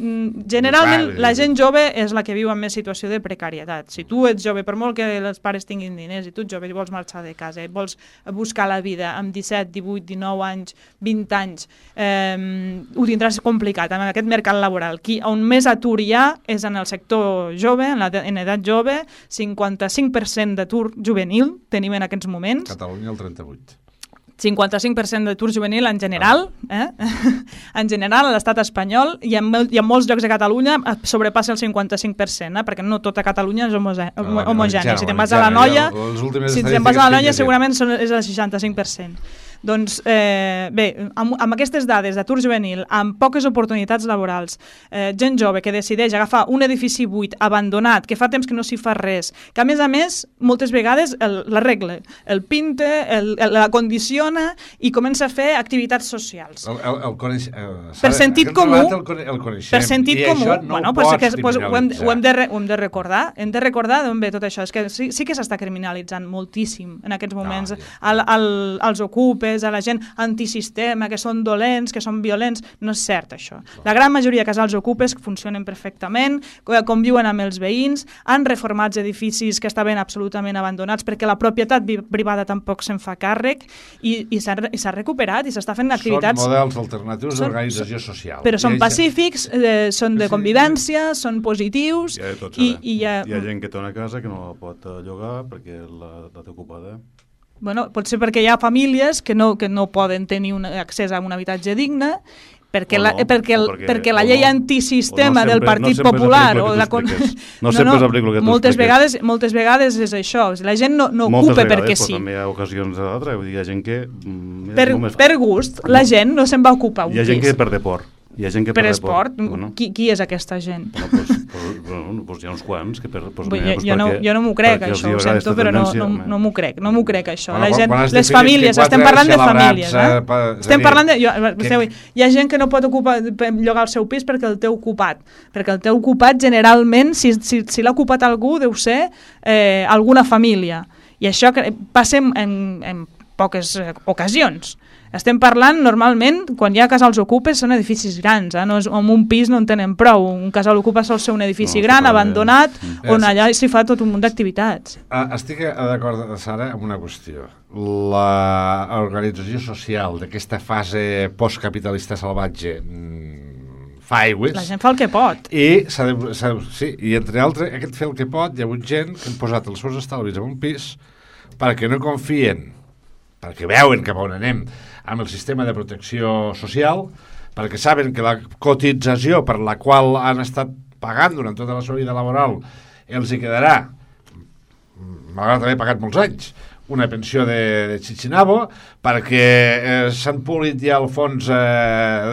generalment, la gent jove és la que viu en més situació de precarietat. Si tu ets jove, per molt que els pares tinguin diners, i tu ets jove i vols marxar de casa, i vols buscar la vida amb disset, divuit, dinou anys, vint anys, eh, ho tindràs complicat en aquest mercat laboral. Qui, on més atur hi ha és en el sector jove, en, la, en edat jove, cinquanta-cinc per cent d'atur juvenil tenim en aquests moments. Catalunya el trenta-vuit. cinquanta-cinc per cent d'atur juvenil en general, eh? En general a l'estat espanyol i en, i en molts llocs de Catalunya sobrepassa el cinquanta-cinc per cent, eh? Perquè no tota Catalunya és homogènia. Si te'n vas a la Noia, si te'n vas a la Noia segurament és el seixanta-cinc per cent. Doncs, eh, bé, amb, amb aquestes dades d'atur juvenil, amb poques oportunitats laborals, eh, gent jove que decideix agafar un edifici buit, abandonat, que fa temps que no s'hi fa res, que a més a més, moltes vegades l'arregla, el, el pinte, el, el, la condiciona i comença a fer activitats socials. El, el, el coneix, el, per sentit comú, el, el per sentit comú, no bueno, pues que, pues, ho, hem, ho, hem de re, ho hem de recordar, hem de recordar d'on ve tot això. És que sí, sí que s'està criminalitzant moltíssim en aquests moments, no, ja. al, al, als ocupes, a la gent antisistema, que són dolents, que són violents. No és cert, això. La gran majoria de casals ocupes funcionen perfectament, conviuen amb els veïns, han reformat edificis que estaven absolutament abandonats perquè la propietat privada tampoc se'n fa càrrec i, i s'ha recuperat i s'està fent activitats... Són models alternatius d'organització social. Però són pacífics, eh, són de convivència, són positius... Hi ha, tots, i, i hi, ha... hi ha gent que té una casa que no la pot llogar perquè la, la té ocupada. Bueno, pot ser perquè hi ha famílies que no, que no poden tenir un accés a un habitatge digne perquè, la, no, perquè, el, perquè, perquè la llei no, antisistema no sempre, del Partit no Popular o la con... no, no sempre no, és el que tu moltes vegades, moltes vegades és això, la gent no, no moltes ocupa vegades, perquè sí. sí. També hi ha ocasions d'altres, vull dir, hi ha gent que... Per, per gust, la gent no se'n va ocupar un pis. Hi ha gent pis. que per deport. Hi ha gent que per, per esport? Bueno. Qui, qui és aquesta gent? Bueno, pues, pues, bueno, pues hi ha uns quants que per... Pues, jo, mira, pues jo, no, perquè, jo no m'ho crec, això, ho sento, però no, no, no m'ho crec, no m'ho crec, això. Bueno, la gent, quan, quan les famílies, estem parlant de famílies, eh? Pa, estem dir, parlant de... Jo, que... esteu, hi ha gent que no pot ocupar, llogar el seu pis perquè el té ocupat, perquè el té ocupat generalment, si, si, si l'ha ocupat algú, deu ser eh, alguna família. I això que passa en, en, en poques eh, ocasions. Estem parlant, normalment, quan hi ha casals ocupes, són edificis grans, eh? No és, amb un pis no en tenen prou. Un casal ocupa sol ser un edifici no, gran, abandonat, mm. on allà s'hi fa tot un munt d'activitats. Ah, estic d'acord, Sara, amb una qüestió. L'organització social d'aquesta fase postcapitalista salvatge fa aigües. La gent fa el que pot. I, s'ha de, s'ha, sí, i entre altres, aquest fer el que pot, hi ha hagut gent que han posat els seus estalvis en un pis perquè no confien, perquè veuen cap on anem, amb el sistema de protecció social, perquè saben que la cotització per la qual han estat pagant durant tota la seva vida laboral els hi quedarà, malgrat haver pagat molts anys, una pensió de, de Chichinabo, perquè eh, s'han polit ja el fons eh,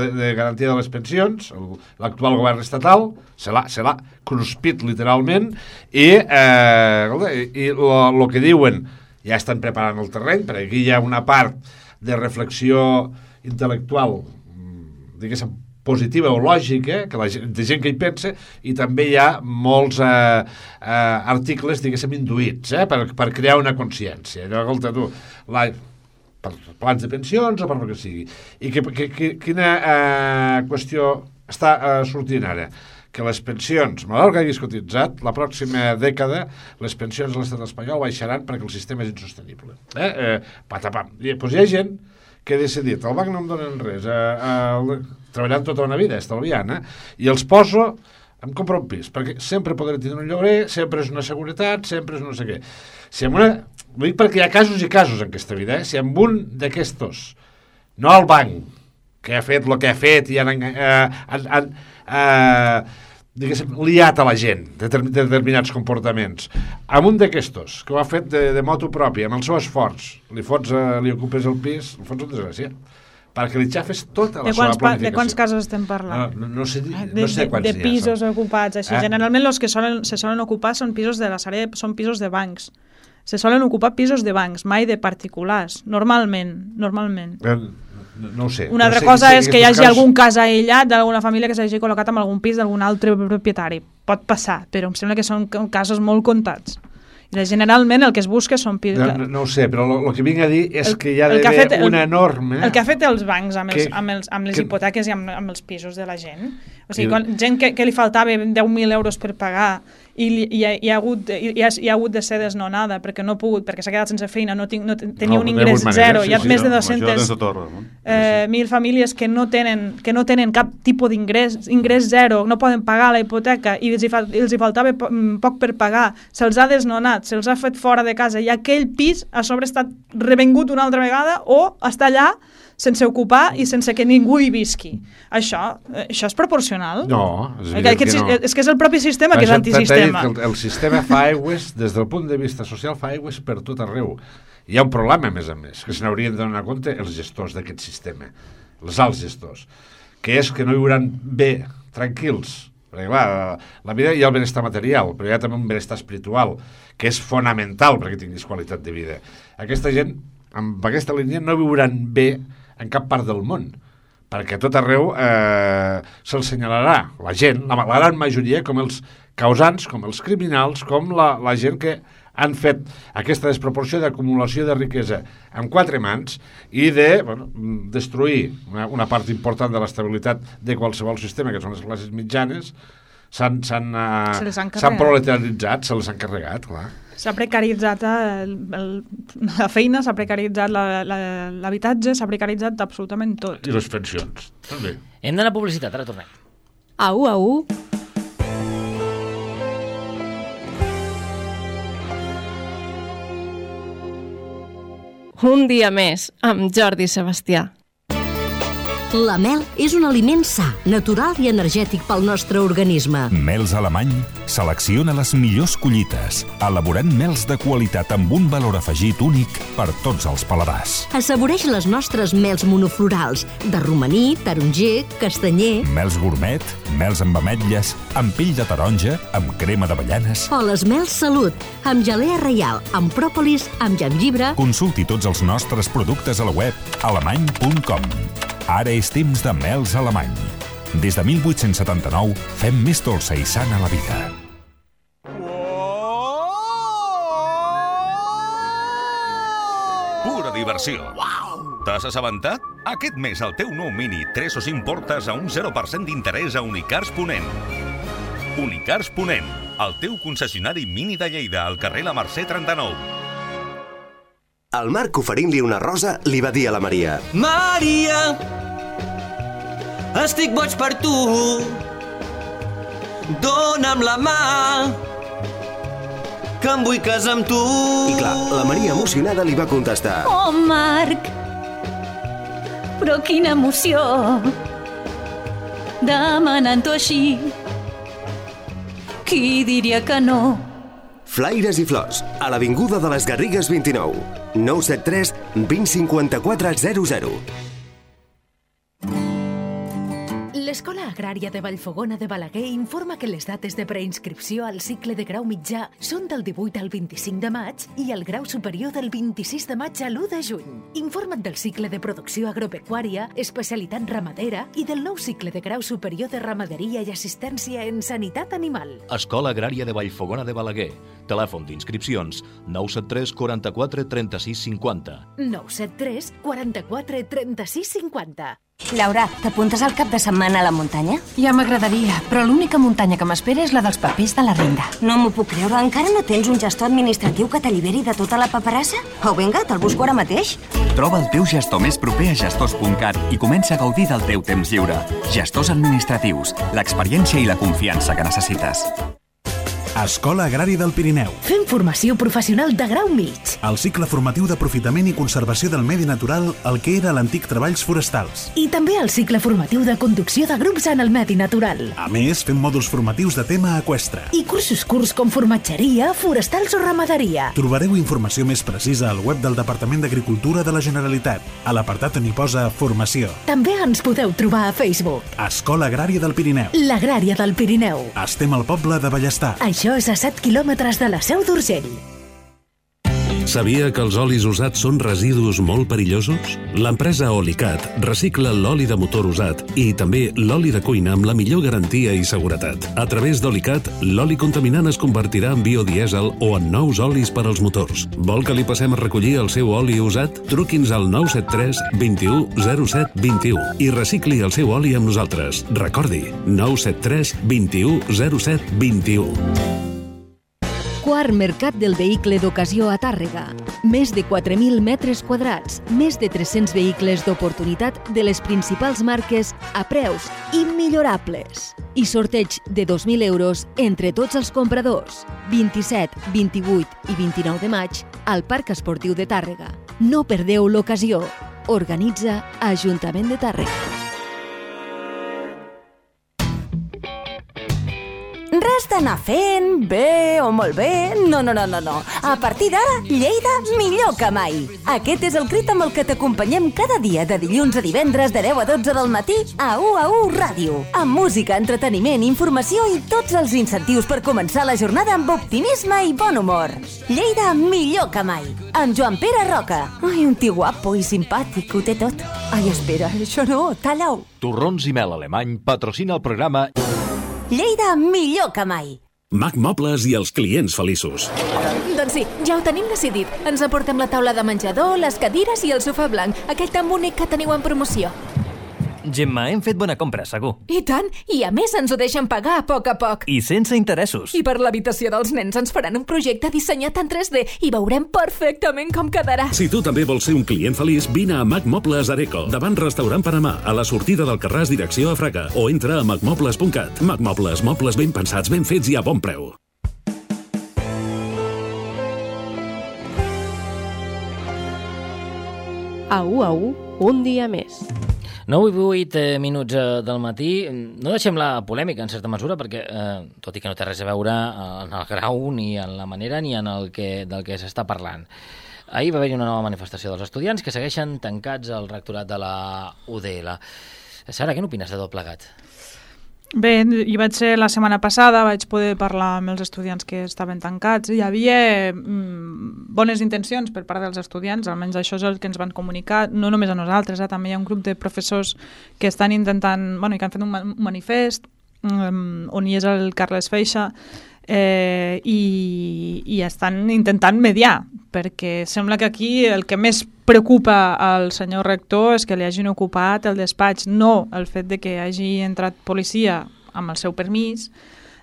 de, de garantia de les pensions, l'actual govern estatal, se l'ha, se l'ha cruspit literalment, i eh, i el que diuen, ja estan preparant el terreny, perquè aquí hi ha una part de reflexió intel·lectual, diguéssim, positiva o lògica, que la gent, de gent que hi pensa, i també hi ha molts eh, eh, articles, diguéssim, induïts, eh, per, per crear una consciència. Allò, escolta, tu, la, per plans de pensions o per el que sigui. I que, que, que, quina eh, qüestió està eh, sortint ara? Que les pensions, malgrat que haguis cotitzat, la pròxima dècada les pensions de l'estat espanyol baixaran perquè el sistema és insostenible. Eh? Eh, patapam. I, doncs hi ha gent que ha decidit, el banc no em donen res, eh, eh, treballant tota una vida, estalviant, eh? I els poso, em compro un pis, perquè sempre podré tenir un lloguer, sempre és una seguretat, sempre és no sé què. Si amb una... Ho dic perquè hi ha casos i casos en aquesta vida, eh? Si amb un d'aquestos, no el banc, que ha fet el que ha fet i han... Eh, han, han Uh, diguéssim, liat a la gent de, de determinats comportaments, amb un d'aquestos que ho ha fet de, de moto pròpia, amb el seu esforç, li fots, uh, li ocupes el pis, li fots un desgràcia, perquè li xafes tota la seva planificació. De quants casos estem parlant? No, no, no sé, no de, sé quants de, de pisos ha, ocupats, així. Eh? Generalment els que solen, se solen ocupar són pisos de la Sareb, són pisos de bancs. Se solen ocupar pisos de bancs, mai de particulars, normalment, normalment. Eh, No, no ho sé. Una altra no sé, cosa sé, és que hi hagi casos... algun cas aïllat d'alguna família que s'hagi col·locat en algun pis d'algun altre propietari. Pot passar, però em sembla que són casos molt comptats. I generalment el que es busca són pisos... No, no, no ho sé, però el que vinc a dir és el, que hi ha d'haver una norma... El que ha fet els bancs amb, els, que, amb, els, amb les que, hipoteques i amb, amb els pisos de la gent. O sigui, quan, gent que, que li faltava deu mil euros per pagar i li, hi, ha, hi, ha hagut, hi, ha, hi ha hagut de ser desnonada perquè no ha pogut, perquè s'ha quedat sense feina, no, tinc, no tenia no, un ingrés zero, sí, hi ha sí, més de dues-centes mil famílies que no tenen, que no tenen cap tipus d'ingrés, ingrés zero, no poden pagar la hipoteca i els hi, fa, els hi faltava poc per pagar, se'ls ha desnonat, se'ls ha fet fora de casa i aquell pis a sobre està revengut una altra vegada o està allà sense ocupar i sense que ningú hi visqui. Això, això és proporcional? No, és que, que no. És que és el propi sistema que és antisistema. El, el sistema fa aigües, des del punt de vista social, fa aigües per tot arreu. Hi ha un problema, a més a més, que se n'haurien de donar compte els gestors d'aquest sistema, els alts gestors, que és que no viuran bé, tranquils, perquè clar, la vida hi ha el benestar material, però hi ha també un benestar espiritual, que és fonamental perquè tinguis qualitat de vida. Aquesta gent, amb aquesta línia, no viuran bé en cap part del món, perquè a tot arreu eh, se'ls senyalarà la gent, la, la gran majoria, com els causants, com els criminals, com la, la gent que han fet aquesta desproporció d'acumulació de riquesa amb quatre mans i de bueno, destruir una, una part important de l'estabilitat de qualsevol sistema, que són les classes mitjanes, s'han uh, proletaritzat, se les han carregat, clar. S'ha precaritzat el, el, la feina, s'ha precaritzat l'habitatge, s'ha precaritzat absolutament tot. I les pensions, també. Hem d'anar a publicitat, ara tornem. Au, au. Un dia més, amb Jordi Sebastià. La mel és un aliment sa, natural i energètic pel nostre organisme. Mels Alemany selecciona les millors collites, elaborant mels de qualitat amb un valor afegit únic per tots els paladars. Assaboreix les nostres mels monoflorals, de romaní, taronger, castanyer... Mels gourmet, mels amb ametlles, amb pell de taronja, amb crema d'avellanes... O les mels Salut, amb gelea reial, amb pròpolis, amb gengibre... Consulti tots els nostres productes a la web alemany punt com. Ara és temps de mels Alemany. Des de mil vuit-cents setanta-nou fem més dolça i sana la vida. Pura diversió. T'has assabentat? Aquest mes el teu nou Mini tres o cinc portes a un zero per cent d'interès a Unicars Ponent. Unicars Ponent, el teu concessionari Mini de Lleida, al carrer La Mercè trenta-nou. El Marc, oferint-li una rosa, li va dir a la Maria: Maria, estic boig per tu, dona'm la mà, que em vull casar amb tu. I clar, la Maria, emocionada, li va contestar: Oh, Marc, però quina emoció, demanant-ho així, qui diria que no? Flaires i flors, a l'Avinguda de les Garrigues vint-i-nou. nou set tres vint cinquanta-quatre zero zero. L'Escola Agrària de Vallfogona de Balaguer informa que les dates de preinscripció al cicle de grau mitjà són del divuit al vint-i-cinc de maig i el grau superior del vint-i-sis de maig a l'u de juny. Informa't del cicle de producció agropecuària, especialitat ramadera i del nou cicle de grau superior de ramaderia i assistència en sanitat animal. Escola Agrària de Vallfogona de Balaguer. Telèfon d'inscripcions nou set tres quaranta-quatre trenta-sis cinquanta. nou set tres quaranta-quatre trenta-sis cinquanta. Laura, t'apuntes al cap de setmana a la muntanya? Ja m'agradaria, però l'única muntanya que m'espera és la dels papers de la renda. No m'ho puc creure, encara no tens un gestor administratiu que t'alliberi de tota la paperassa? Oh, vinga, te'l busco ara mateix. Troba el teu gestor més proper a gestors punt cat i comença a gaudir del teu temps lliure. Gestors administratius, l'experiència i la confiança que necessites. Escola Agrària del Pirineu. Fem formació professional de grau mig. El cicle formatiu d'aprofitament i conservació del medi natural, el que era l'antic Treballs Forestals. I també el cicle formatiu de conducció de grups en el medi natural. A més, fem mòduls formatius de tema eqüestre. I cursos curts com formatgeria, forestals o ramaderia. Trobareu informació més precisa al web del Departament d'Agricultura de la Generalitat, a l'apartat on hi posa Formació. També ens podeu trobar a Facebook. Escola Agrària del Pirineu. L'Agrària del Pirineu. Estem al poble de Ballestar. Això és a set quilòmetres de la Seu d'Urgell. Sabia que els olis usats són residus molt perillosos? L'empresa Olicat recicla l'oli de motor usat i també l'oli de cuina amb la millor garantia i seguretat. A través d'Olicat, l'oli contaminant es convertirà en biodièsel o en nous olis per als motors. Vol que li passem a recollir el seu oli usat? Truqui'ns al nou set tres vint u zero set vint u i recicli el seu oli amb nosaltres. Recordi, nou set tres vint u zero set vint u. Quart Mercat del Vehicle d'Ocasió a Tàrrega. Més de quatre mil metres quadrats, més de tres-cents vehicles d'oportunitat de les principals marques a preus immillorables. I sorteig de dos mil euros entre tots els compradors. vint-i-set, vint-i-vuit i vint-i-nou de maig al Parc Esportiu de Tàrrega. No perdeu l'ocasió. Organitza Ajuntament de Tàrrega. Res d'anar fent bé o molt bé, no, no, no, no, no. A partir d'ara, Lleida millor que mai. Aquest és el crit amb el que t'acompanyem cada dia de dilluns a divendres de deu a dotze del matí a u a u Ràdio. Amb música, entreteniment, informació i tots els incentius per començar la jornada amb optimisme i bon humor. Lleida millor que mai. Amb Joan Pere Roca. Ai, un tio guapo i simpàtic, ho té tot. Ai, espera, això no, talla-ho. Torrons i Mel Alemany patrocina el programa Lleida millor que mai. Mac Mobles i els clients feliços. Doncs sí, ja ho tenim decidit. Ens aportem la taula de menjador, les cadires i el sofà blanc, aquell tan bonic que teniu en promoció. Gemma, hem fet bona compra, segur. I tant, i a més ens ho deixen pagar a poc a poc. I sense interessos. I per l'habitació dels nens ens faran un projecte dissenyat en tres D i veurem perfectament com quedarà. Si tu també vols ser un client feliç, vine a Mac Mobles Areco, davant restaurant Panamà, a la sortida del Carràs direcció a Fraga, o entra a mac mobles punt cat. Mac Mobles, mobles ben pensats, ben fets i a bon preu. A u a u, un dia més. nou i vuit minuts del matí. No deixem la polèmica, en certa mesura, perquè, eh, tot i que no té res a veure en el grau, ni en la manera, ni en el que, del que s'està parlant. Ahir va haver-hi una nova manifestació dels estudiants que segueixen tancats al rectorat de la U D L. Sara, què n'opines de tot plegat? Bé, hi vaig ser la setmana passada, vaig poder parlar amb els estudiants que estaven tancats. Hi havia mm, bones intencions per part dels estudiants, almenys això és el que ens van comunicar, no només a nosaltres, eh? També hi ha un grup de professors que estan intentant, bueno, que han fet un manifest, um, on hi és el Carles Feixa, eh, i, i estan intentant mediar, perquè sembla que aquí el que més preocupa al senyor rector és que li hagin ocupat el despatx, no el fet de que hagi entrat policia amb el seu permís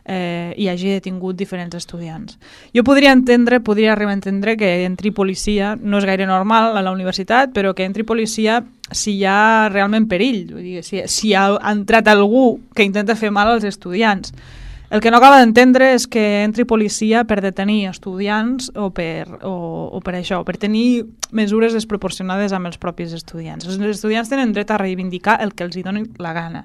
eh, i hagi detingut diferents estudiants. Jo podria entendre, podria arribar a entendre que entri policia, no és gaire normal a la universitat, però que entri policia si hi ha realment perill, vull dir, si, si ha entrat algú que intenta fer mal als estudiants. El que no acaba d'entendre és que entri policia per detenir estudiants o per, o, o per això, per tenir mesures desproporcionades amb els propis estudiants. Els estudiants tenen dret a reivindicar el que els hi doni la gana.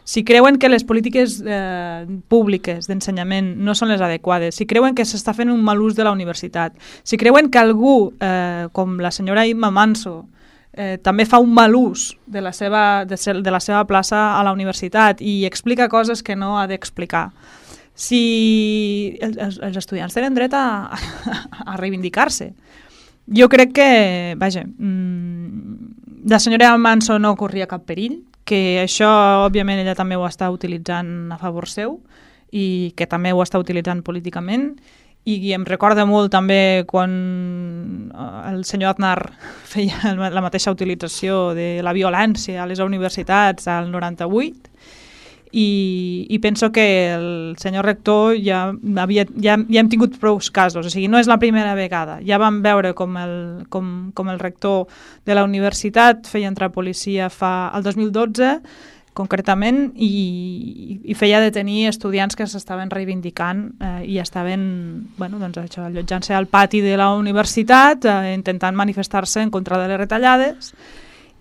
Si creuen que les polítiques eh, públiques d'ensenyament no són les adequades, si creuen que s'està fent un mal ús de la universitat, si creuen que algú, eh, com la senyora Imma Manso, Eh, també fa un mal ús de la, seva, de, de la seva plaça a la universitat i explica coses que no ha d'explicar. Si els, els estudiants tenen dret a, a, a reivindicar-se. Jo crec que, vaja, mmm, la senyora Manso no corria cap perill, que això, òbviament, ella també ho està utilitzant a favor seu i que també ho està utilitzant políticament. I em recorda molt també quan el senyor Aznar feia la mateixa utilització de la violència a les universitats al noranta-vuit i, i penso que el senyor rector ja, havia, ja, ja hem tingut prou casos, o sigui, no és la primera vegada. Ja vam veure com el, com, com el rector de la universitat feia entrar policia fa, el dos mil dotze concretament, i, i feia detenir estudiants que s'estaven reivindicant eh, i estaven, bueno, doncs això, allotjant-se al pati de la universitat, eh, intentant manifestar-se en contra de les retallades,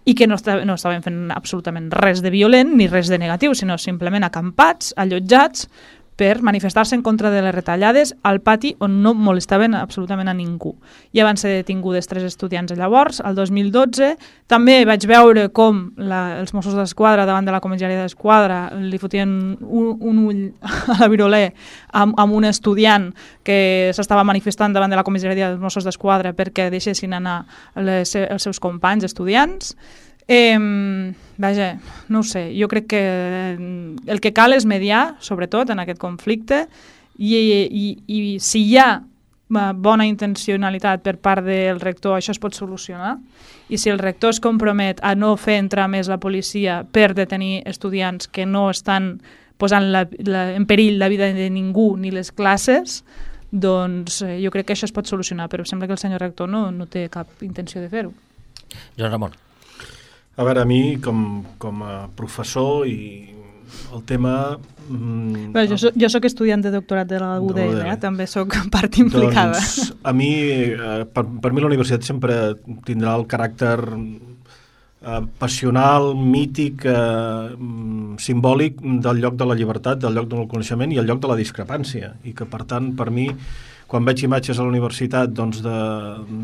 i que no, estaven, no estaven fent absolutament res de violent ni res de negatiu, sinó simplement acampats, allotjats, per manifestar-se en contra de les retallades al pati on no molestaven absolutament a ningú. Ja van ser detingudes tres estudiants llavors, el dos mil dotze. També vaig veure com la, els Mossos d'Esquadra davant de la comissaria d'Esquadra li fotien un, un ull a la viroler amb, amb un estudiant que s'estava manifestant davant de la comissaria dels Mossos d'Esquadra perquè deixessin anar les, els seus companys estudiants. Eh, vaja, no ho sé, jo crec que el que cal és mediar, sobretot en aquest conflicte, i, i, i si hi ha bona intencionalitat per part del rector, això es pot solucionar, i si el rector es compromet a no fer entrar més la policia per detenir estudiants que no estan posant la, la, en perill la vida de ningú ni les classes, doncs eh, jo crec que això es pot solucionar, però sembla que el senyor rector no, no té cap intenció de fer-ho. Joan Ramon. A veure, a mi, com, com a professor, i el tema... Mm, Bé, jo, soc, jo soc estudiant de doctorat de la U D L, eh? També soc part implicada. Doncs, a mi, eh, per, per mi la universitat sempre tindrà el caràcter eh, passional, mític, eh, simbòlic del lloc de la llibertat, del lloc del coneixement i el lloc de la discrepància. I que, per tant, per mi, quan veig imatges a la universitat doncs, de,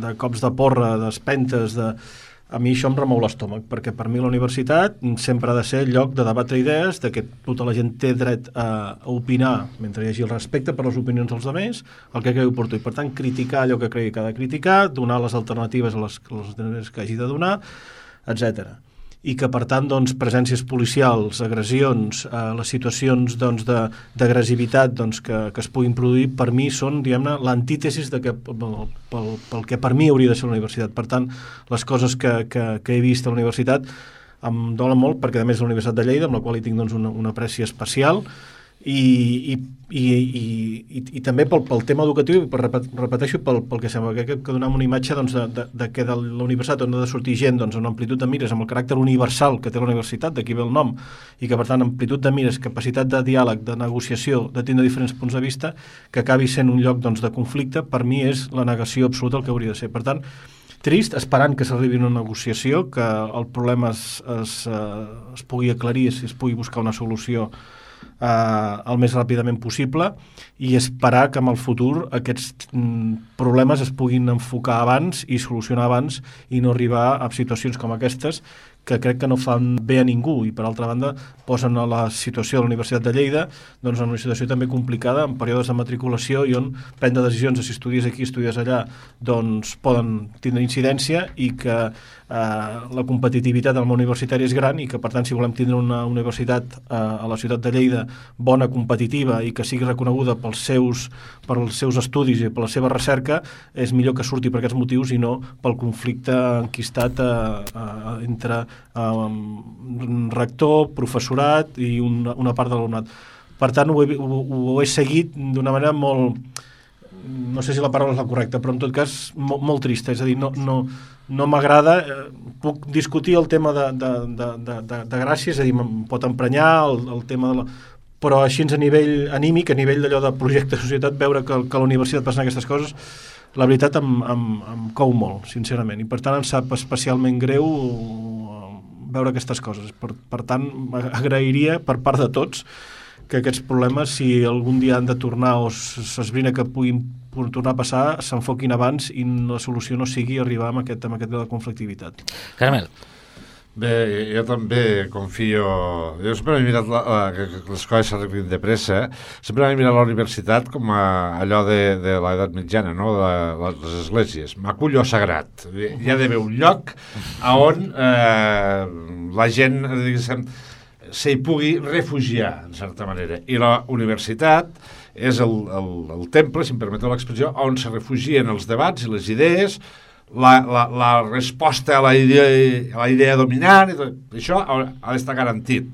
de cops de porra, d'espentes, de... a mi això em remou l'estómac, perquè per mi la universitat sempre ha de ser el lloc de debatre idees, de que tota la gent té dret a, a opinar, mentre hi hagi el respecte per les opinions dels altres, el que cregui oportú, i per tant criticar allò que cregui que ha de criticar, donar les alternatives a les, a les alternatives que hagi de donar, etcètera. I que, per tant, doncs, presències policials, agressions, eh, les situacions doncs, d'agressivitat doncs, que, que es puguin produir, per mi són, diguem-ne, l'antítesis de que, pel, pel, pel que per mi hauria de ser la universitat. Per tant, les coses que, que, que he vist a la universitat em dolen molt, perquè a més és la Universitat de Lleida, amb la qual hi tinc doncs, una, una apreci especial, i, i, i, i, i, i també pel, pel tema educatiu, per repeteixo, pel, pel que sembla, que, que donem una imatge doncs, de, de, de que de la universitat on ha de sortir gent doncs, amb amplitud de mires, amb el caràcter universal que té la universitat, d'aquí ve el nom, i que per tant amplitud de mires, capacitat de diàleg, de negociació, de tindre diferents punts de vista, que acabi sent un lloc doncs, de conflicte, per mi és la negació absoluta el que hauria de ser. Per tant, trist, esperant que s'arribi a una negociació, que el problema es, es, es pugui aclarir, si es pugui buscar una solució Uh, el més ràpidament possible, i esperar que en el futur aquests mm, problemes es puguin enfocar abans i solucionar abans i no arribar a situacions com aquestes que crec que no fan bé a ningú, i per altra banda posen a la situació de la Universitat de Lleida doncs en una situació també complicada en períodes de matriculació i on prendre decisions de si estudies aquí, estudies allà doncs poden tindre incidència, i que eh, la competitivitat del món universitari és gran, i que per tant si volem tindre una universitat eh, a la ciutat de Lleida bona, competitiva, i que sigui reconeguda pels seus, pels seus estudis i per la seva recerca, és millor que surti per aquests motius i no pel conflicte enquistat eh, eh, entre Um, rector, professorat i una, una part de l'alumnat. Per tant, ho he, ho, ho he seguit d'una manera molt, no sé si la paraula és la correcta, però en tot cas molt, molt trista, és a dir, no, no, no m'agrada, eh, puc discutir el tema de, de, de, de, de, de gràcia, és a dir, em pot emprenyar el, el tema de la... però així a nivell anímic, a nivell d'allò de projecte de societat, veure que, que a la universitat passen aquestes coses, la veritat em, em, em cou molt, sincerament, i per tant em sap especialment greu veure aquestes coses. Per, per tant, agrairia per part de tots que aquests problemes, si algun dia han de tornar o s'esbrina que puguin tornar a passar, s'enfoquin abans i la solució no sigui arribar amb aquest, amb aquest grau de conflictivitat. Caramel. Bé, jo també confio... Jo sempre m'he mirat la, la, que les coses s'arreglin de pressa. Sempre m'he mirat la universitat com a allò de, de l'edat mitjana, no? de la, les esglésies. M'acullo sagrat. Hi ha d'haver un lloc on eh, la gent, diguéssim, s'hi pugui refugiar, en certa manera. I la universitat és el, el, el temple, si em permeteu l'expressió, on se refugien els debats i les idees, La, la, la resposta a la idea, a la idea dominant, i tot, això ha, ha d'estar garantit.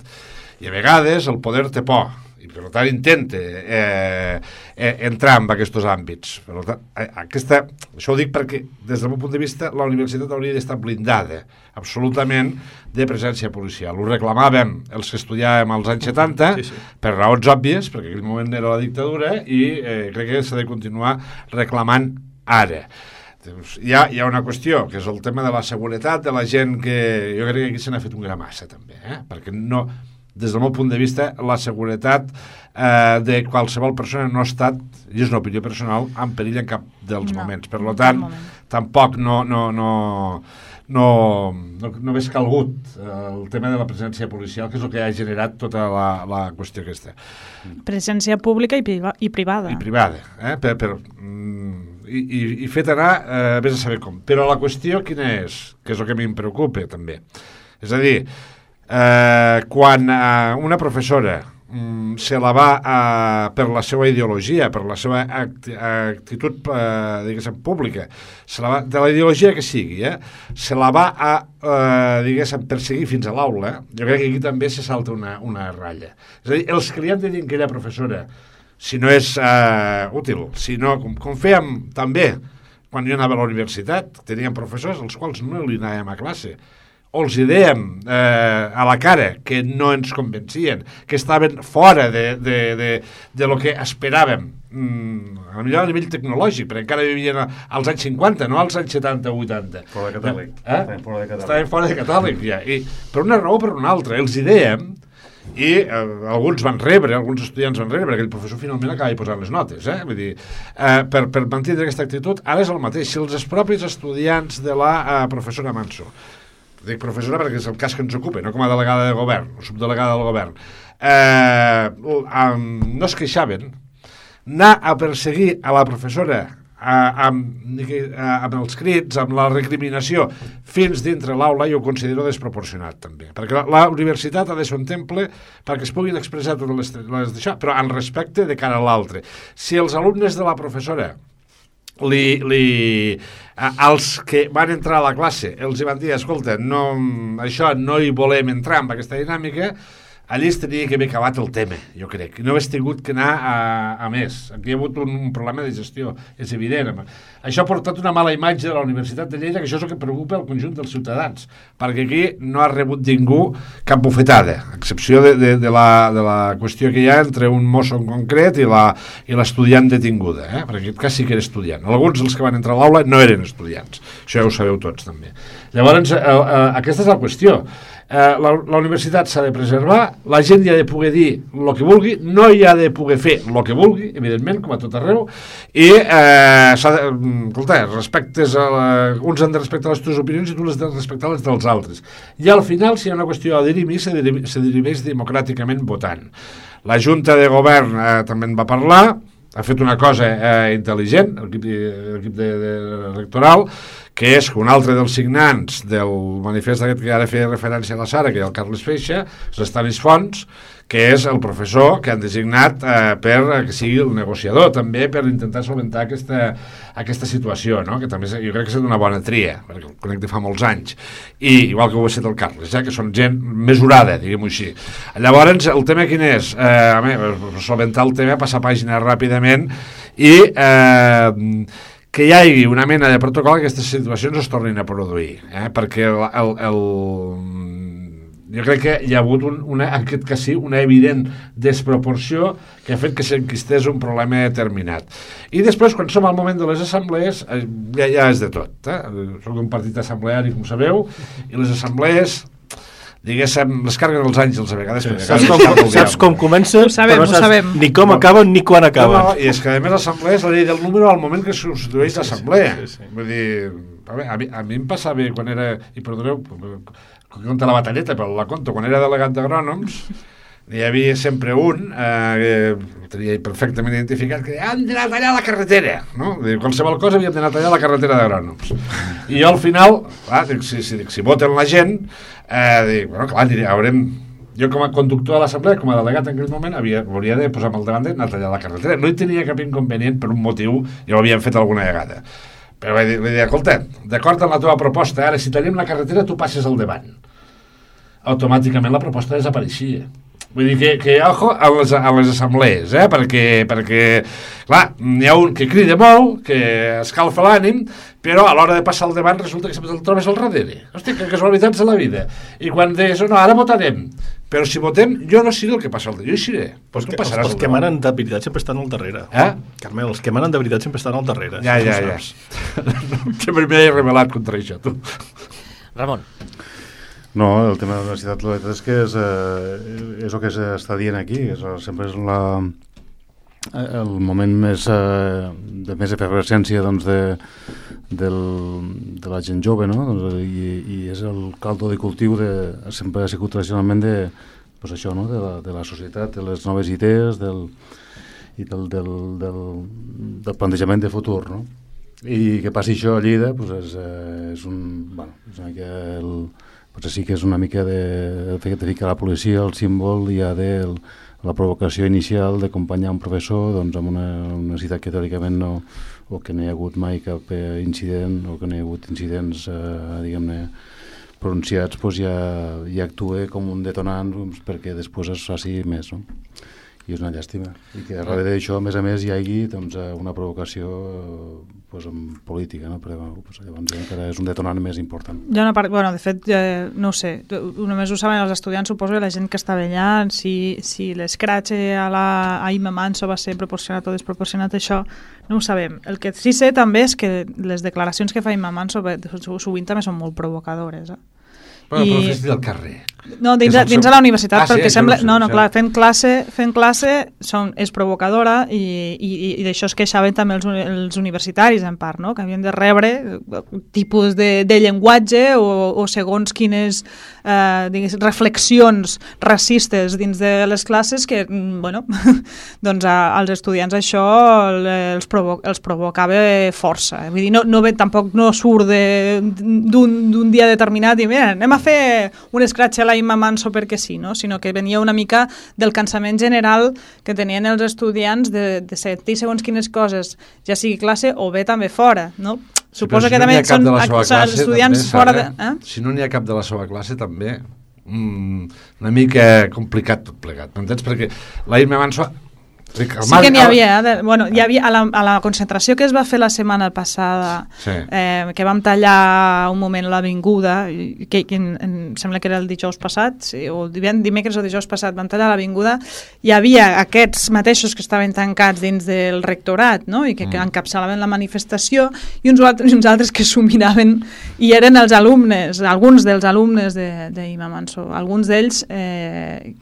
I a vegades el poder té por, i per tant intenta eh, eh, entrar en aquests àmbits. Per tant, aquesta, això ho dic perquè, des del meu punt de vista, la universitat hauria d'estar blindada absolutament de presència policial. Ho reclamàvem els que estudiàvem als anys setanta, sí, sí. per raons òbvies, perquè en aquell moment era la dictadura, i eh, crec que s'ha de continuar reclamant ara. Hi ha, hi ha una qüestió, que és el tema de la seguretat de la gent, que jo crec que aquí se n'ha fet un gra massa també, eh? perquè no, des del meu punt de vista, la seguretat eh, de qualsevol persona no ha estat, i és una opinió personal, en perill en cap dels no, moments. Per tant, tampoc no, no, no, no, no, no hagués calgut el tema de la presència policial, que és el que ha generat tota la, la qüestió aquesta. Presència pública i, priva, i privada. I privada, eh? per, per, mm, i, i, i fet anar, eh, vés a saber com. Però la qüestió quina és? Que és el que a mi em preocupa també. És a dir, eh, quan eh, una professora mm, se la va eh, per la seva ideologia, per la seva act actitud eh, diguéssim, pública, se la va, de la ideologia que sigui, eh, se la va a eh, diguéssim, perseguir fins a l'aula, jo crec que aquí també se salta una, una ratlla. És a dir, els que li han de dir que aquella professora, si no és eh, útil, si no, com, com fèiem també quan jo anava a la universitat, teníem professors als quals no li anàvem a classe, o els dèiem eh, a la cara que no ens convencien, que estaven fora de, de, de, de lo que esperàvem, mm, a millor a nivell tecnològic, perquè encara vivien als anys cinquanta, no als anys setanta o vuitanta. Fora de catàleg. Eh? Estaven fora de catàleg. Estaven fora de catàleg, ja. I per una raó o per una altra, els dèiem, i eh, alguns van rebre, alguns estudiants van rebre, perquè el professor finalment acaba posant les notes, eh? Vull dir, eh, per, per mantenir aquesta actitud. Ara és el mateix, si els propis estudiants de la eh, professora Manso, dic professora perquè és el cas que ens ocupa, no com a delegada de govern o subdelegada del govern, eh, um, no es queixaven, anar a perseguir a la professora Uh, amb, uh, amb els crits, amb la recriminació fins dintre l'aula, jo ho considero desproporcionat també, perquè la, la universitat ha de ser un temple perquè es puguin expressar totes les, les d'això, però en respecte de cara a l'altre. Si els alumnes de la professora li, li, uh, els que van entrar a la classe els hi van dir, escolta, no, això no hi volem entrar en aquesta dinàmica, allí es tenia que haver acabat el tema, jo crec. No hagués tingut que anar a, a més. Aquí hi ha hagut un, un problema de gestió, és evident. Això ha portat una mala imatge de la Universitat de Lleida, que això és el que preocupa el conjunt dels ciutadans, perquè aquí no ha rebut ningú cap bufetada, a excepció de, de, de, la, de la qüestió que hi ha entre un mosso en concret i la i l'estudiant detinguda, eh? Perquè en aquest cas sí que era estudiant. Alguns dels que van entrar a l'aula no eren estudiants, això ja ho sabeu tots també. Llavors, eh, eh, aquesta és la qüestió. Eh, la, la universitat s'ha de preservar, la gent hi ha de poder dir el que vulgui, no hi ha de poder fer el que vulgui, evidentment, com a tot arreu, i eh, s'ha de, escolta, respectes a la, uns han de respectar les teves opinions i tu les has de respectar les dels altres. I al final, si hi ha una qüestió a dirimir, se dirimeix, se dirimeix democràticament votant. La Junta de Govern eh, també en va parlar, ha fet una cosa eh, intel·ligent, l'equip de, de, electoral, que és que un altre dels signants del manifest aquest que ara feia referència a la Sara, que hi ha el Carles Feixa, és l'Estanis Fons, que és el professor que han designat eh, per que sigui el negociador, també per intentar solventar aquesta, aquesta situació, no? Que també jo crec que ha estat una bona tria, perquè el conec de fa molts anys, i igual que ho ha estat el Carles, eh, que són gent mesurada, diguem-ho així. Llavors, el tema quin és? Eh, a mi, solventar el tema, passar pàgina ràpidament, i eh, que hi hagi una mena de protocol que aquestes situacions es tornin a produir, eh? Perquè el, el, el, jo crec que hi ha hagut un, una, en aquest cas sí, una evident desproporció que ha fet que s'enquistés un problema determinat. I després, quan som al moment de les assemblees, ja, ja és de tot. Eh? Soc un partit assembleari, com sabeu, i les assemblees, diguéssim, les carguen els àngels a vegades. Sí, saps, com, saps com comença, sabem, però no saps sabem. ni com acaben ni quan acaben. No, no, i és que a més l'assemblea és la llei del número al moment que es substitueix l'assemblea. Sí, sí, sí. Vull dir, a, veure, a, mi, a mi em passava quan era, i perdoneu, conta la batalleta, però la conto, quan era delegat d'agrònoms, hi havia sempre un eh, que tenia perfectament identificat que han d'anar a tallar la carretera, no? Dic, qualsevol cosa havíem d'anar a tallar la carretera d'agrònoms. I jo al final, clar, dic, si, si, si voten la gent, eh, dic, bueno, clar, diré, haurem... Jo com a conductor de l'assemblea, com a delegat en aquell moment, havia, hauria de posar-me al davant d'anar a tallar la carretera. No hi tenia cap inconvenient per un motiu, ja ho havíem fet alguna vegada. Però vaig dir, dir escolta, d'acord amb la teva proposta, ara si tallem la carretera tu passes al davant. Automàticament la proposta desapareixia. Vull dir que, que ojo a les, a les assemblees, eh? perquè, perquè clar, n'hi ha un que crida molt, que escalfa l'ànim, però a l'hora de passar al davant resulta que sempre el trobes al darrere. Hosti, que casualitats de la vida. I quan deies, no, ara votarem, però si votem, jo no seré el que passa al darrere, jo hi seré. Pues tu els, els que manen de veritat sempre estan al darrere. Eh? Carmel, els que manen de veritat sempre estan al darrere. Ja, ja, ja. Sempre m'he rebel·lat contra això, tu. Ramon. No, el tema de la universitat, la veritat és que és, eh, és el que s'està dient aquí, és, sempre és la, el moment més, eh, de més efervescència doncs, de, del, de la gent jove, no? Doncs, i, i és el caldo de cultiu, de, sempre ha sigut tradicionalment de, pues això, no? de, la, de la societat, de les noves idees del, i del, del, del, del plantejament de futur, no? I que passi això a Lleida pues és, eh, és un... Bueno, és una mica el... Potser sí que és una mica de, de, de ficar la policia, el símbol ja de el, la provocació inicial d'acompanyar un professor doncs, amb una universitat que teòricament no, o que no hi ha hagut mai cap eh, incident, o que no hi ha hagut incidents, eh, diguem-ne, pronunciats, doncs ja, ja actua com un detonant doncs, perquè després es faci més, no? I és una llàstima. I que darrere d'això, a més a més, hi hagi doncs, una provocació doncs, política, no? Però doncs, llavors encara és un detonant més important. Ja no part... bueno, de fet, ja, no ho sé, només ho saben els estudiants, suposo que la gent que estava allà, si, si l'escratx a la a Imma Manso va ser proporcionat o desproporcionat, això no ho sabem. El que sí sé també és que les declaracions que fa Imma Manso sovint també són molt provocadores, eh? Bueno, I... però fes del carrer. No, dins, a, dins a la universitat, ah, perquè sí, sembla... No, no, clar, fent classe, fent classe són, és provocadora i, i, i d'això es queixaven també els, els universitaris, en part, no? Que havien de rebre tipus de, de llenguatge o, o segons quines eh, digues, reflexions racistes dins de les classes que, bueno, doncs a, als estudiants això els, provo els provocava força. Vull dir, no, no ve, tampoc no surt d'un dia determinat i mira, anem a fer un escratx a la Imma Manso perquè sí, no? Sinó que venia una mica del cansament general que tenien els estudiants de, de sentir segons quines coses, ja sigui classe o bé també fora, no? Sí, suposo si que no també són classe, estudiants també, fora de... Eh? Si no n'hi ha cap de la seva classe, també mm, una mica complicat tot plegat, m'entens? Perquè la Imma Manso... Sí que n'hi havia, eh? bueno, hi havia a la, a la concentració que es va fer la setmana passada, sí. eh, que vam tallar un moment l'avinguda, que, que en, en, sembla que era el dijous passat, sí, o dimecres o dijous passat, vam tallar l'avinguda, hi havia aquests mateixos que estaven tancats dins del rectorat, no? I que, mm. que encapçalaven la manifestació, i uns altres, uns altres que s'ho miraven, i eren els alumnes, alguns dels alumnes d'Imma Manso. Alguns d'ells eh,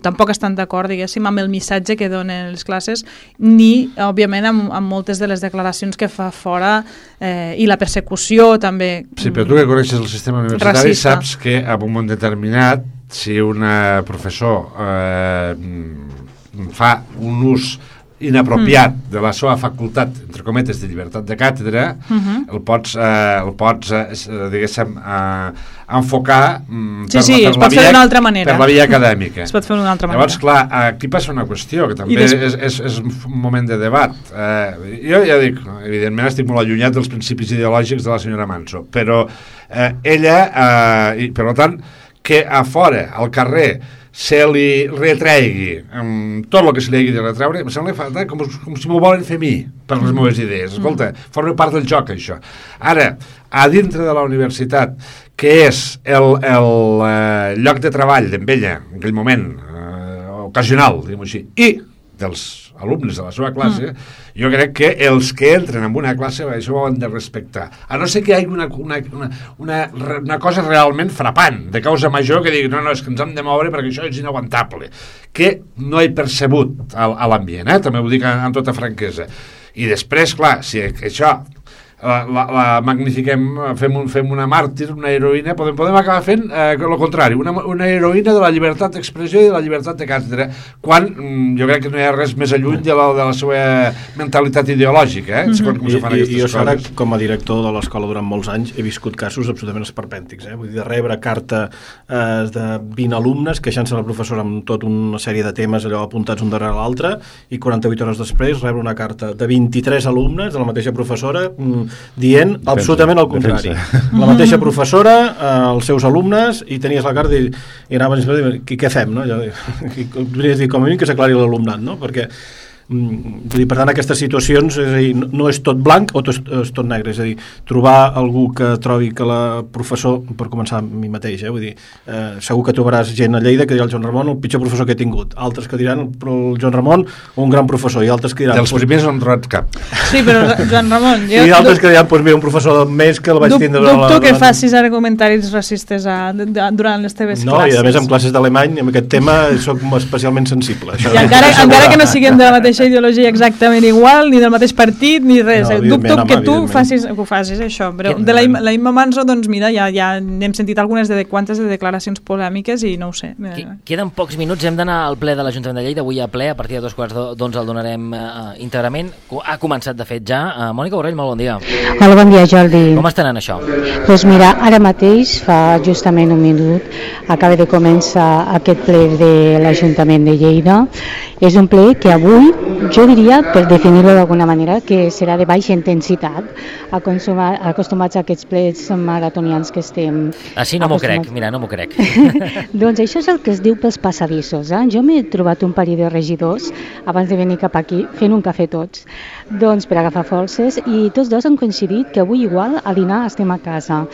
tampoc estan d'acord, diguéssim, amb el missatge que donen les classes, ni, òbviament, amb, amb moltes de les declaracions que fa fora eh, i la persecució també. Sí, però tu que coneixes el sistema universitari racista. Saps que en un moment determinat, si un professor eh, fa un ús inapropiat mm. de la seva facultat, entre cometes, de llibertat de càtedra, mm-hmm. el pots, eh, el pots eh, diguéssim, eh, enfocar mm, sí, per, sí, per, es pot fer d'una altra manera. Per la via acadèmica. Es pot fer d'una altra manera. Llavors, clar, aquí passa una qüestió, que també des... és, és, és un moment de debat. Eh, jo ja dic, evidentment estic molt allunyat dels principis ideològics de la senyora Manso, però eh, ella, eh, i, per tant, que a fora, al carrer, se li retregui um, tot el que se li hagi de retreure, em sembla falta com, com si m'ho volen fer a mi per les meves idees. Escolta, forma part del joc, això. Ara, a dintre de la universitat, que és el, el eh, lloc de treball d'en ella, en aquell moment, eh, ocasional, diguem-ho així, i dels alumnes de la seva classe, mm. jo crec que els que entren en una classe això ho han de respectar. A no ser que hi hagi una, una, una, una, una cosa realment frapant, de causa major, que digui, no, no, és que ens hem de moure perquè això és inaguantable, que no he percebut a, a l'ambient, eh? També ho dic amb tota franquesa. I després, clar, si això... La, la, la magnifiquem, fem, un, fem una màrtir, una heroïna, podem, podem acabar fent eh, el contrari, una, una heroïna de la llibertat d'expressió i de la llibertat de càtedra, quan mm, jo crec que no hi ha res més alluny de la, de la seva mentalitat ideològica, eh? Mm-hmm. Com se fan aquestes I, i jo, Sara, coses. Com a director de l'escola durant molts anys, he viscut casos absolutament esperpèntics, eh? Vull dir, de rebre carta eh, de vint alumnes queixant-se a la professora amb tota una sèrie de temes allò apuntats un darrere l'altre, i quaranta-vuit hores després rebre una carta de vint-i-tres alumnes de la mateixa professora mm, dient defensa, absolutament el contrari. Defensa. La mateixa professora, eh, els seus alumnes, i tenies la carta i, i anaven a dir, què fem? No? Jo, i, dir, com a mínim que s'aclari l'alumnat, no? Perquè mm, dir, per tant, aquestes situacions és a dir, no, no és tot blanc o tot, és tot negre, és a dir, trobar algú que trobi que la professor, per començar a mi mateix, eh, vull dir, eh, segur que trobaràs gent a Lleida que dirà el Joan Ramon el pitjor professor que he tingut, altres que diran però el Joan Ramon un gran professor, i altres que diran... Dels primers no han trobat cap. Sí, però Joan Ramon... Jo, I altres que diran, doncs mira, un professor més que el vaig tindre... Dubto la, la, que facis ara comentaris racistes a, de, de, durant les teves no, classes. No, i a més en classes d'alemany, en aquest tema soc especialment sensible. Això I encara, encara que no siguem de la mateixa ideologia exactament igual, ni del mateix partit, ni res. No, dubto que tu facis, que ho facis, això. Però de la, la Imma Manso, doncs mira, ja, ja n'hem sentit algunes de quantes de declaracions polèmiques i no ho sé. Queden pocs minuts, hem d'anar al ple de l'Ajuntament de Lleida, avui a ple, a partir de dos quarts d'onze el donarem uh, íntegrament. Ha començat, de fet, ja. Uh, Mònica Borrell, molt bon dia. Hola, bon dia, Jordi. Com estan en això? Doncs pues mira, ara mateix, fa justament un minut, acaba de començar aquest ple de l'Ajuntament de Lleida. És un ple que avui, jo diria, per definir-lo d'alguna manera, que serà de baixa intensitat, acostumats a aquests plets maratonians que estem... Així no m'ho crec, mira, no m'ho crec. Doncs això és el que es diu pels passadissos. Eh? Jo m'he trobat un parell de regidors abans de venir cap aquí, fent un cafè tots, doncs per agafar forces, i tots dos han coincidit que avui igual a dinar estem a casa.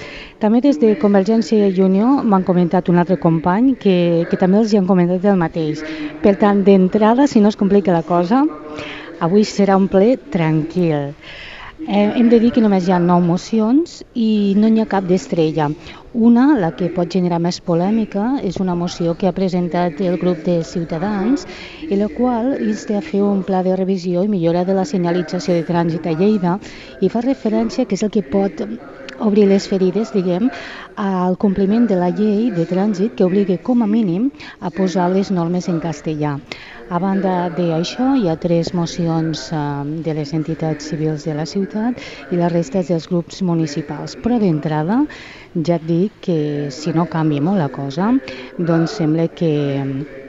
També des de Convergència i Unió m'han comentat un altre company que, que també els hi han comentat el mateix. Per tant, d'entrada, si no es complica la cosa, avui serà un ple tranquil. Eh, hem de dir que només hi ha nou mocions i no n'hi ha cap d'estrella. Una, la que pot generar més polèmica, és una moció que ha presentat el grup de Ciutadans, i la qual insta a fer un pla de revisió i millora de la senyalització de trànsit a Lleida, i fa referència que és el que pot obrir les ferides, diguem, al compliment de la llei de trànsit que obliga com a mínim a posar les normes en castellà. A banda d'això, hi ha tres mocions eh, de les entitats civils de la ciutat i la resta dels grups municipals. Però d'entrada, ja et dic que si no canvia molt la cosa, doncs sembla que,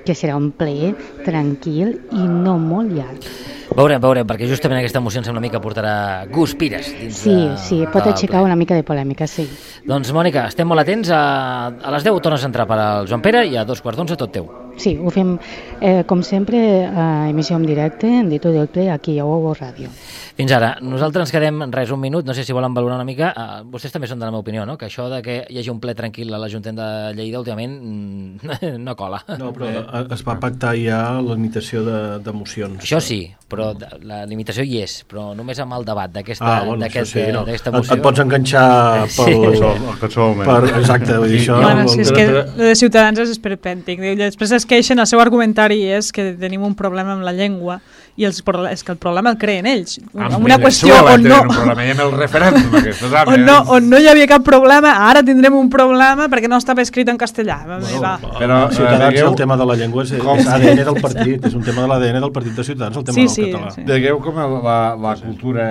que serà un ple tranquil i no molt llarg. Veurem, veurem, perquè justament aquesta moció em sembla una mica portarà guspires dins Sí, de, sí, pot aixecar una mica de polèmica, sí. Doncs, Mònica, estem molt atents. A, a les deu tornes a entrar per al Joan Pere i a dos quarts d'onze tot teu. Sí, ho fem, eh, com sempre, a emissió en directe, en Dito del Ple, aquí a Ovo Ràdio. Fins ara. Nosaltres ens quedem res un minut, no sé si volen valorar una mica. Uh, vostès també són de la meva opinió, no? Que això de que hi hagi un ple tranquil a l'Ajuntament de Lleida últimament mm, no cola. No, però es va pactar ja la limitació de, de mocions. Això sí, però la limitació hi és, però només amb el debat d'aquesta ah, bueno, aquest, sí, no. moció. Et, et pots enganxar pel... Sí. Per, exacte, vull dir això. Bueno, si és que el de Ciutadans és esperpèntic. Després es queixen, el seu argumentari és que tenim un problema amb la llengua i els, és que el problema el creen ells. Amb una qüestió on no, un problema amb el referèndum, aquestes, on, no, on no hi havia cap problema, ara tindrem un problema perquè no estava escrit en castellà. Bueno, va. Però Ciutadans, digueu, el tema de la llengua és, és A D N del partit, és un tema de l'A D N del partit de Ciutadans, el tema sí, del sí, català. Sí. Digueu com la, la cultura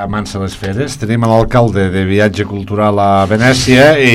amansa les feres. Tenim l'alcalde de viatge cultural a Venècia i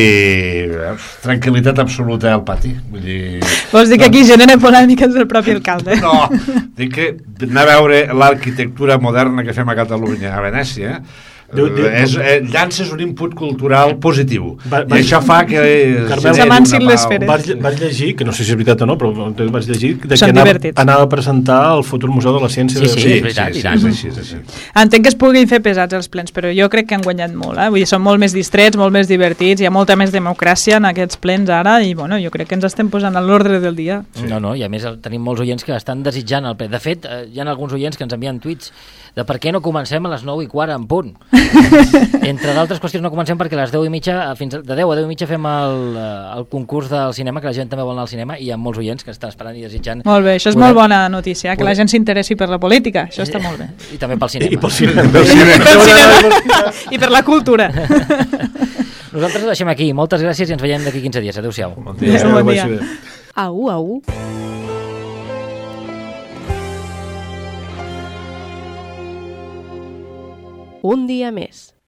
eh, tranquil·litat absoluta al pati. Vull dir... Vols dir que aquí genera polèmiques del propi alcalde? No, dic que anar a veure l'arquitectura moderna que fem a Catalunya, a Venècia, Diu, diu, és, eh, llances un input cultural positiu va, va, i això fa que s'amancin les feres. Vaig, vaig llegir, que no sé si és veritat o no, però vaig llegir de que anava, anava a presentar el futur Museu de la Ciència. Sí, sí, de... és veritat, sí, sí, sí, sí, sí, sí, sí, sí. Entenc que es puguin fer pesats els plens, però jo crec que han guanyat molt, eh? Vull dir, són molt més distrets, molt més divertits, hi ha molta més democràcia en aquests plens ara i bueno, jo crec que ens estem posant a l'ordre del dia. Sí. No, no, i a més tenim molts oients que estan desitjant el ple. De fet, hi ha alguns oients que ens envien tuits de per què no comencem a les nou i quart en punt. Entre d'altres qüestions no comencem perquè a les deu i mitja, fins de deu a deu i mitja fem el, el concurs del cinema, que la gent també vol anar al cinema i hi ha molts oients que estan esperant i desitjant. Molt bé, això és poder, molt bona notícia, que poder... la gent s'interessi per la política, això està molt bé. I també pel cinema. I pel cinema. I, pel cinema. I per la cultura. Nosaltres ho deixem aquí, moltes gràcies i ens veiem d'aquí quinze dies. Adéu-siau. Bon dia. Adéu, bon dia. Au, au. Un dia més.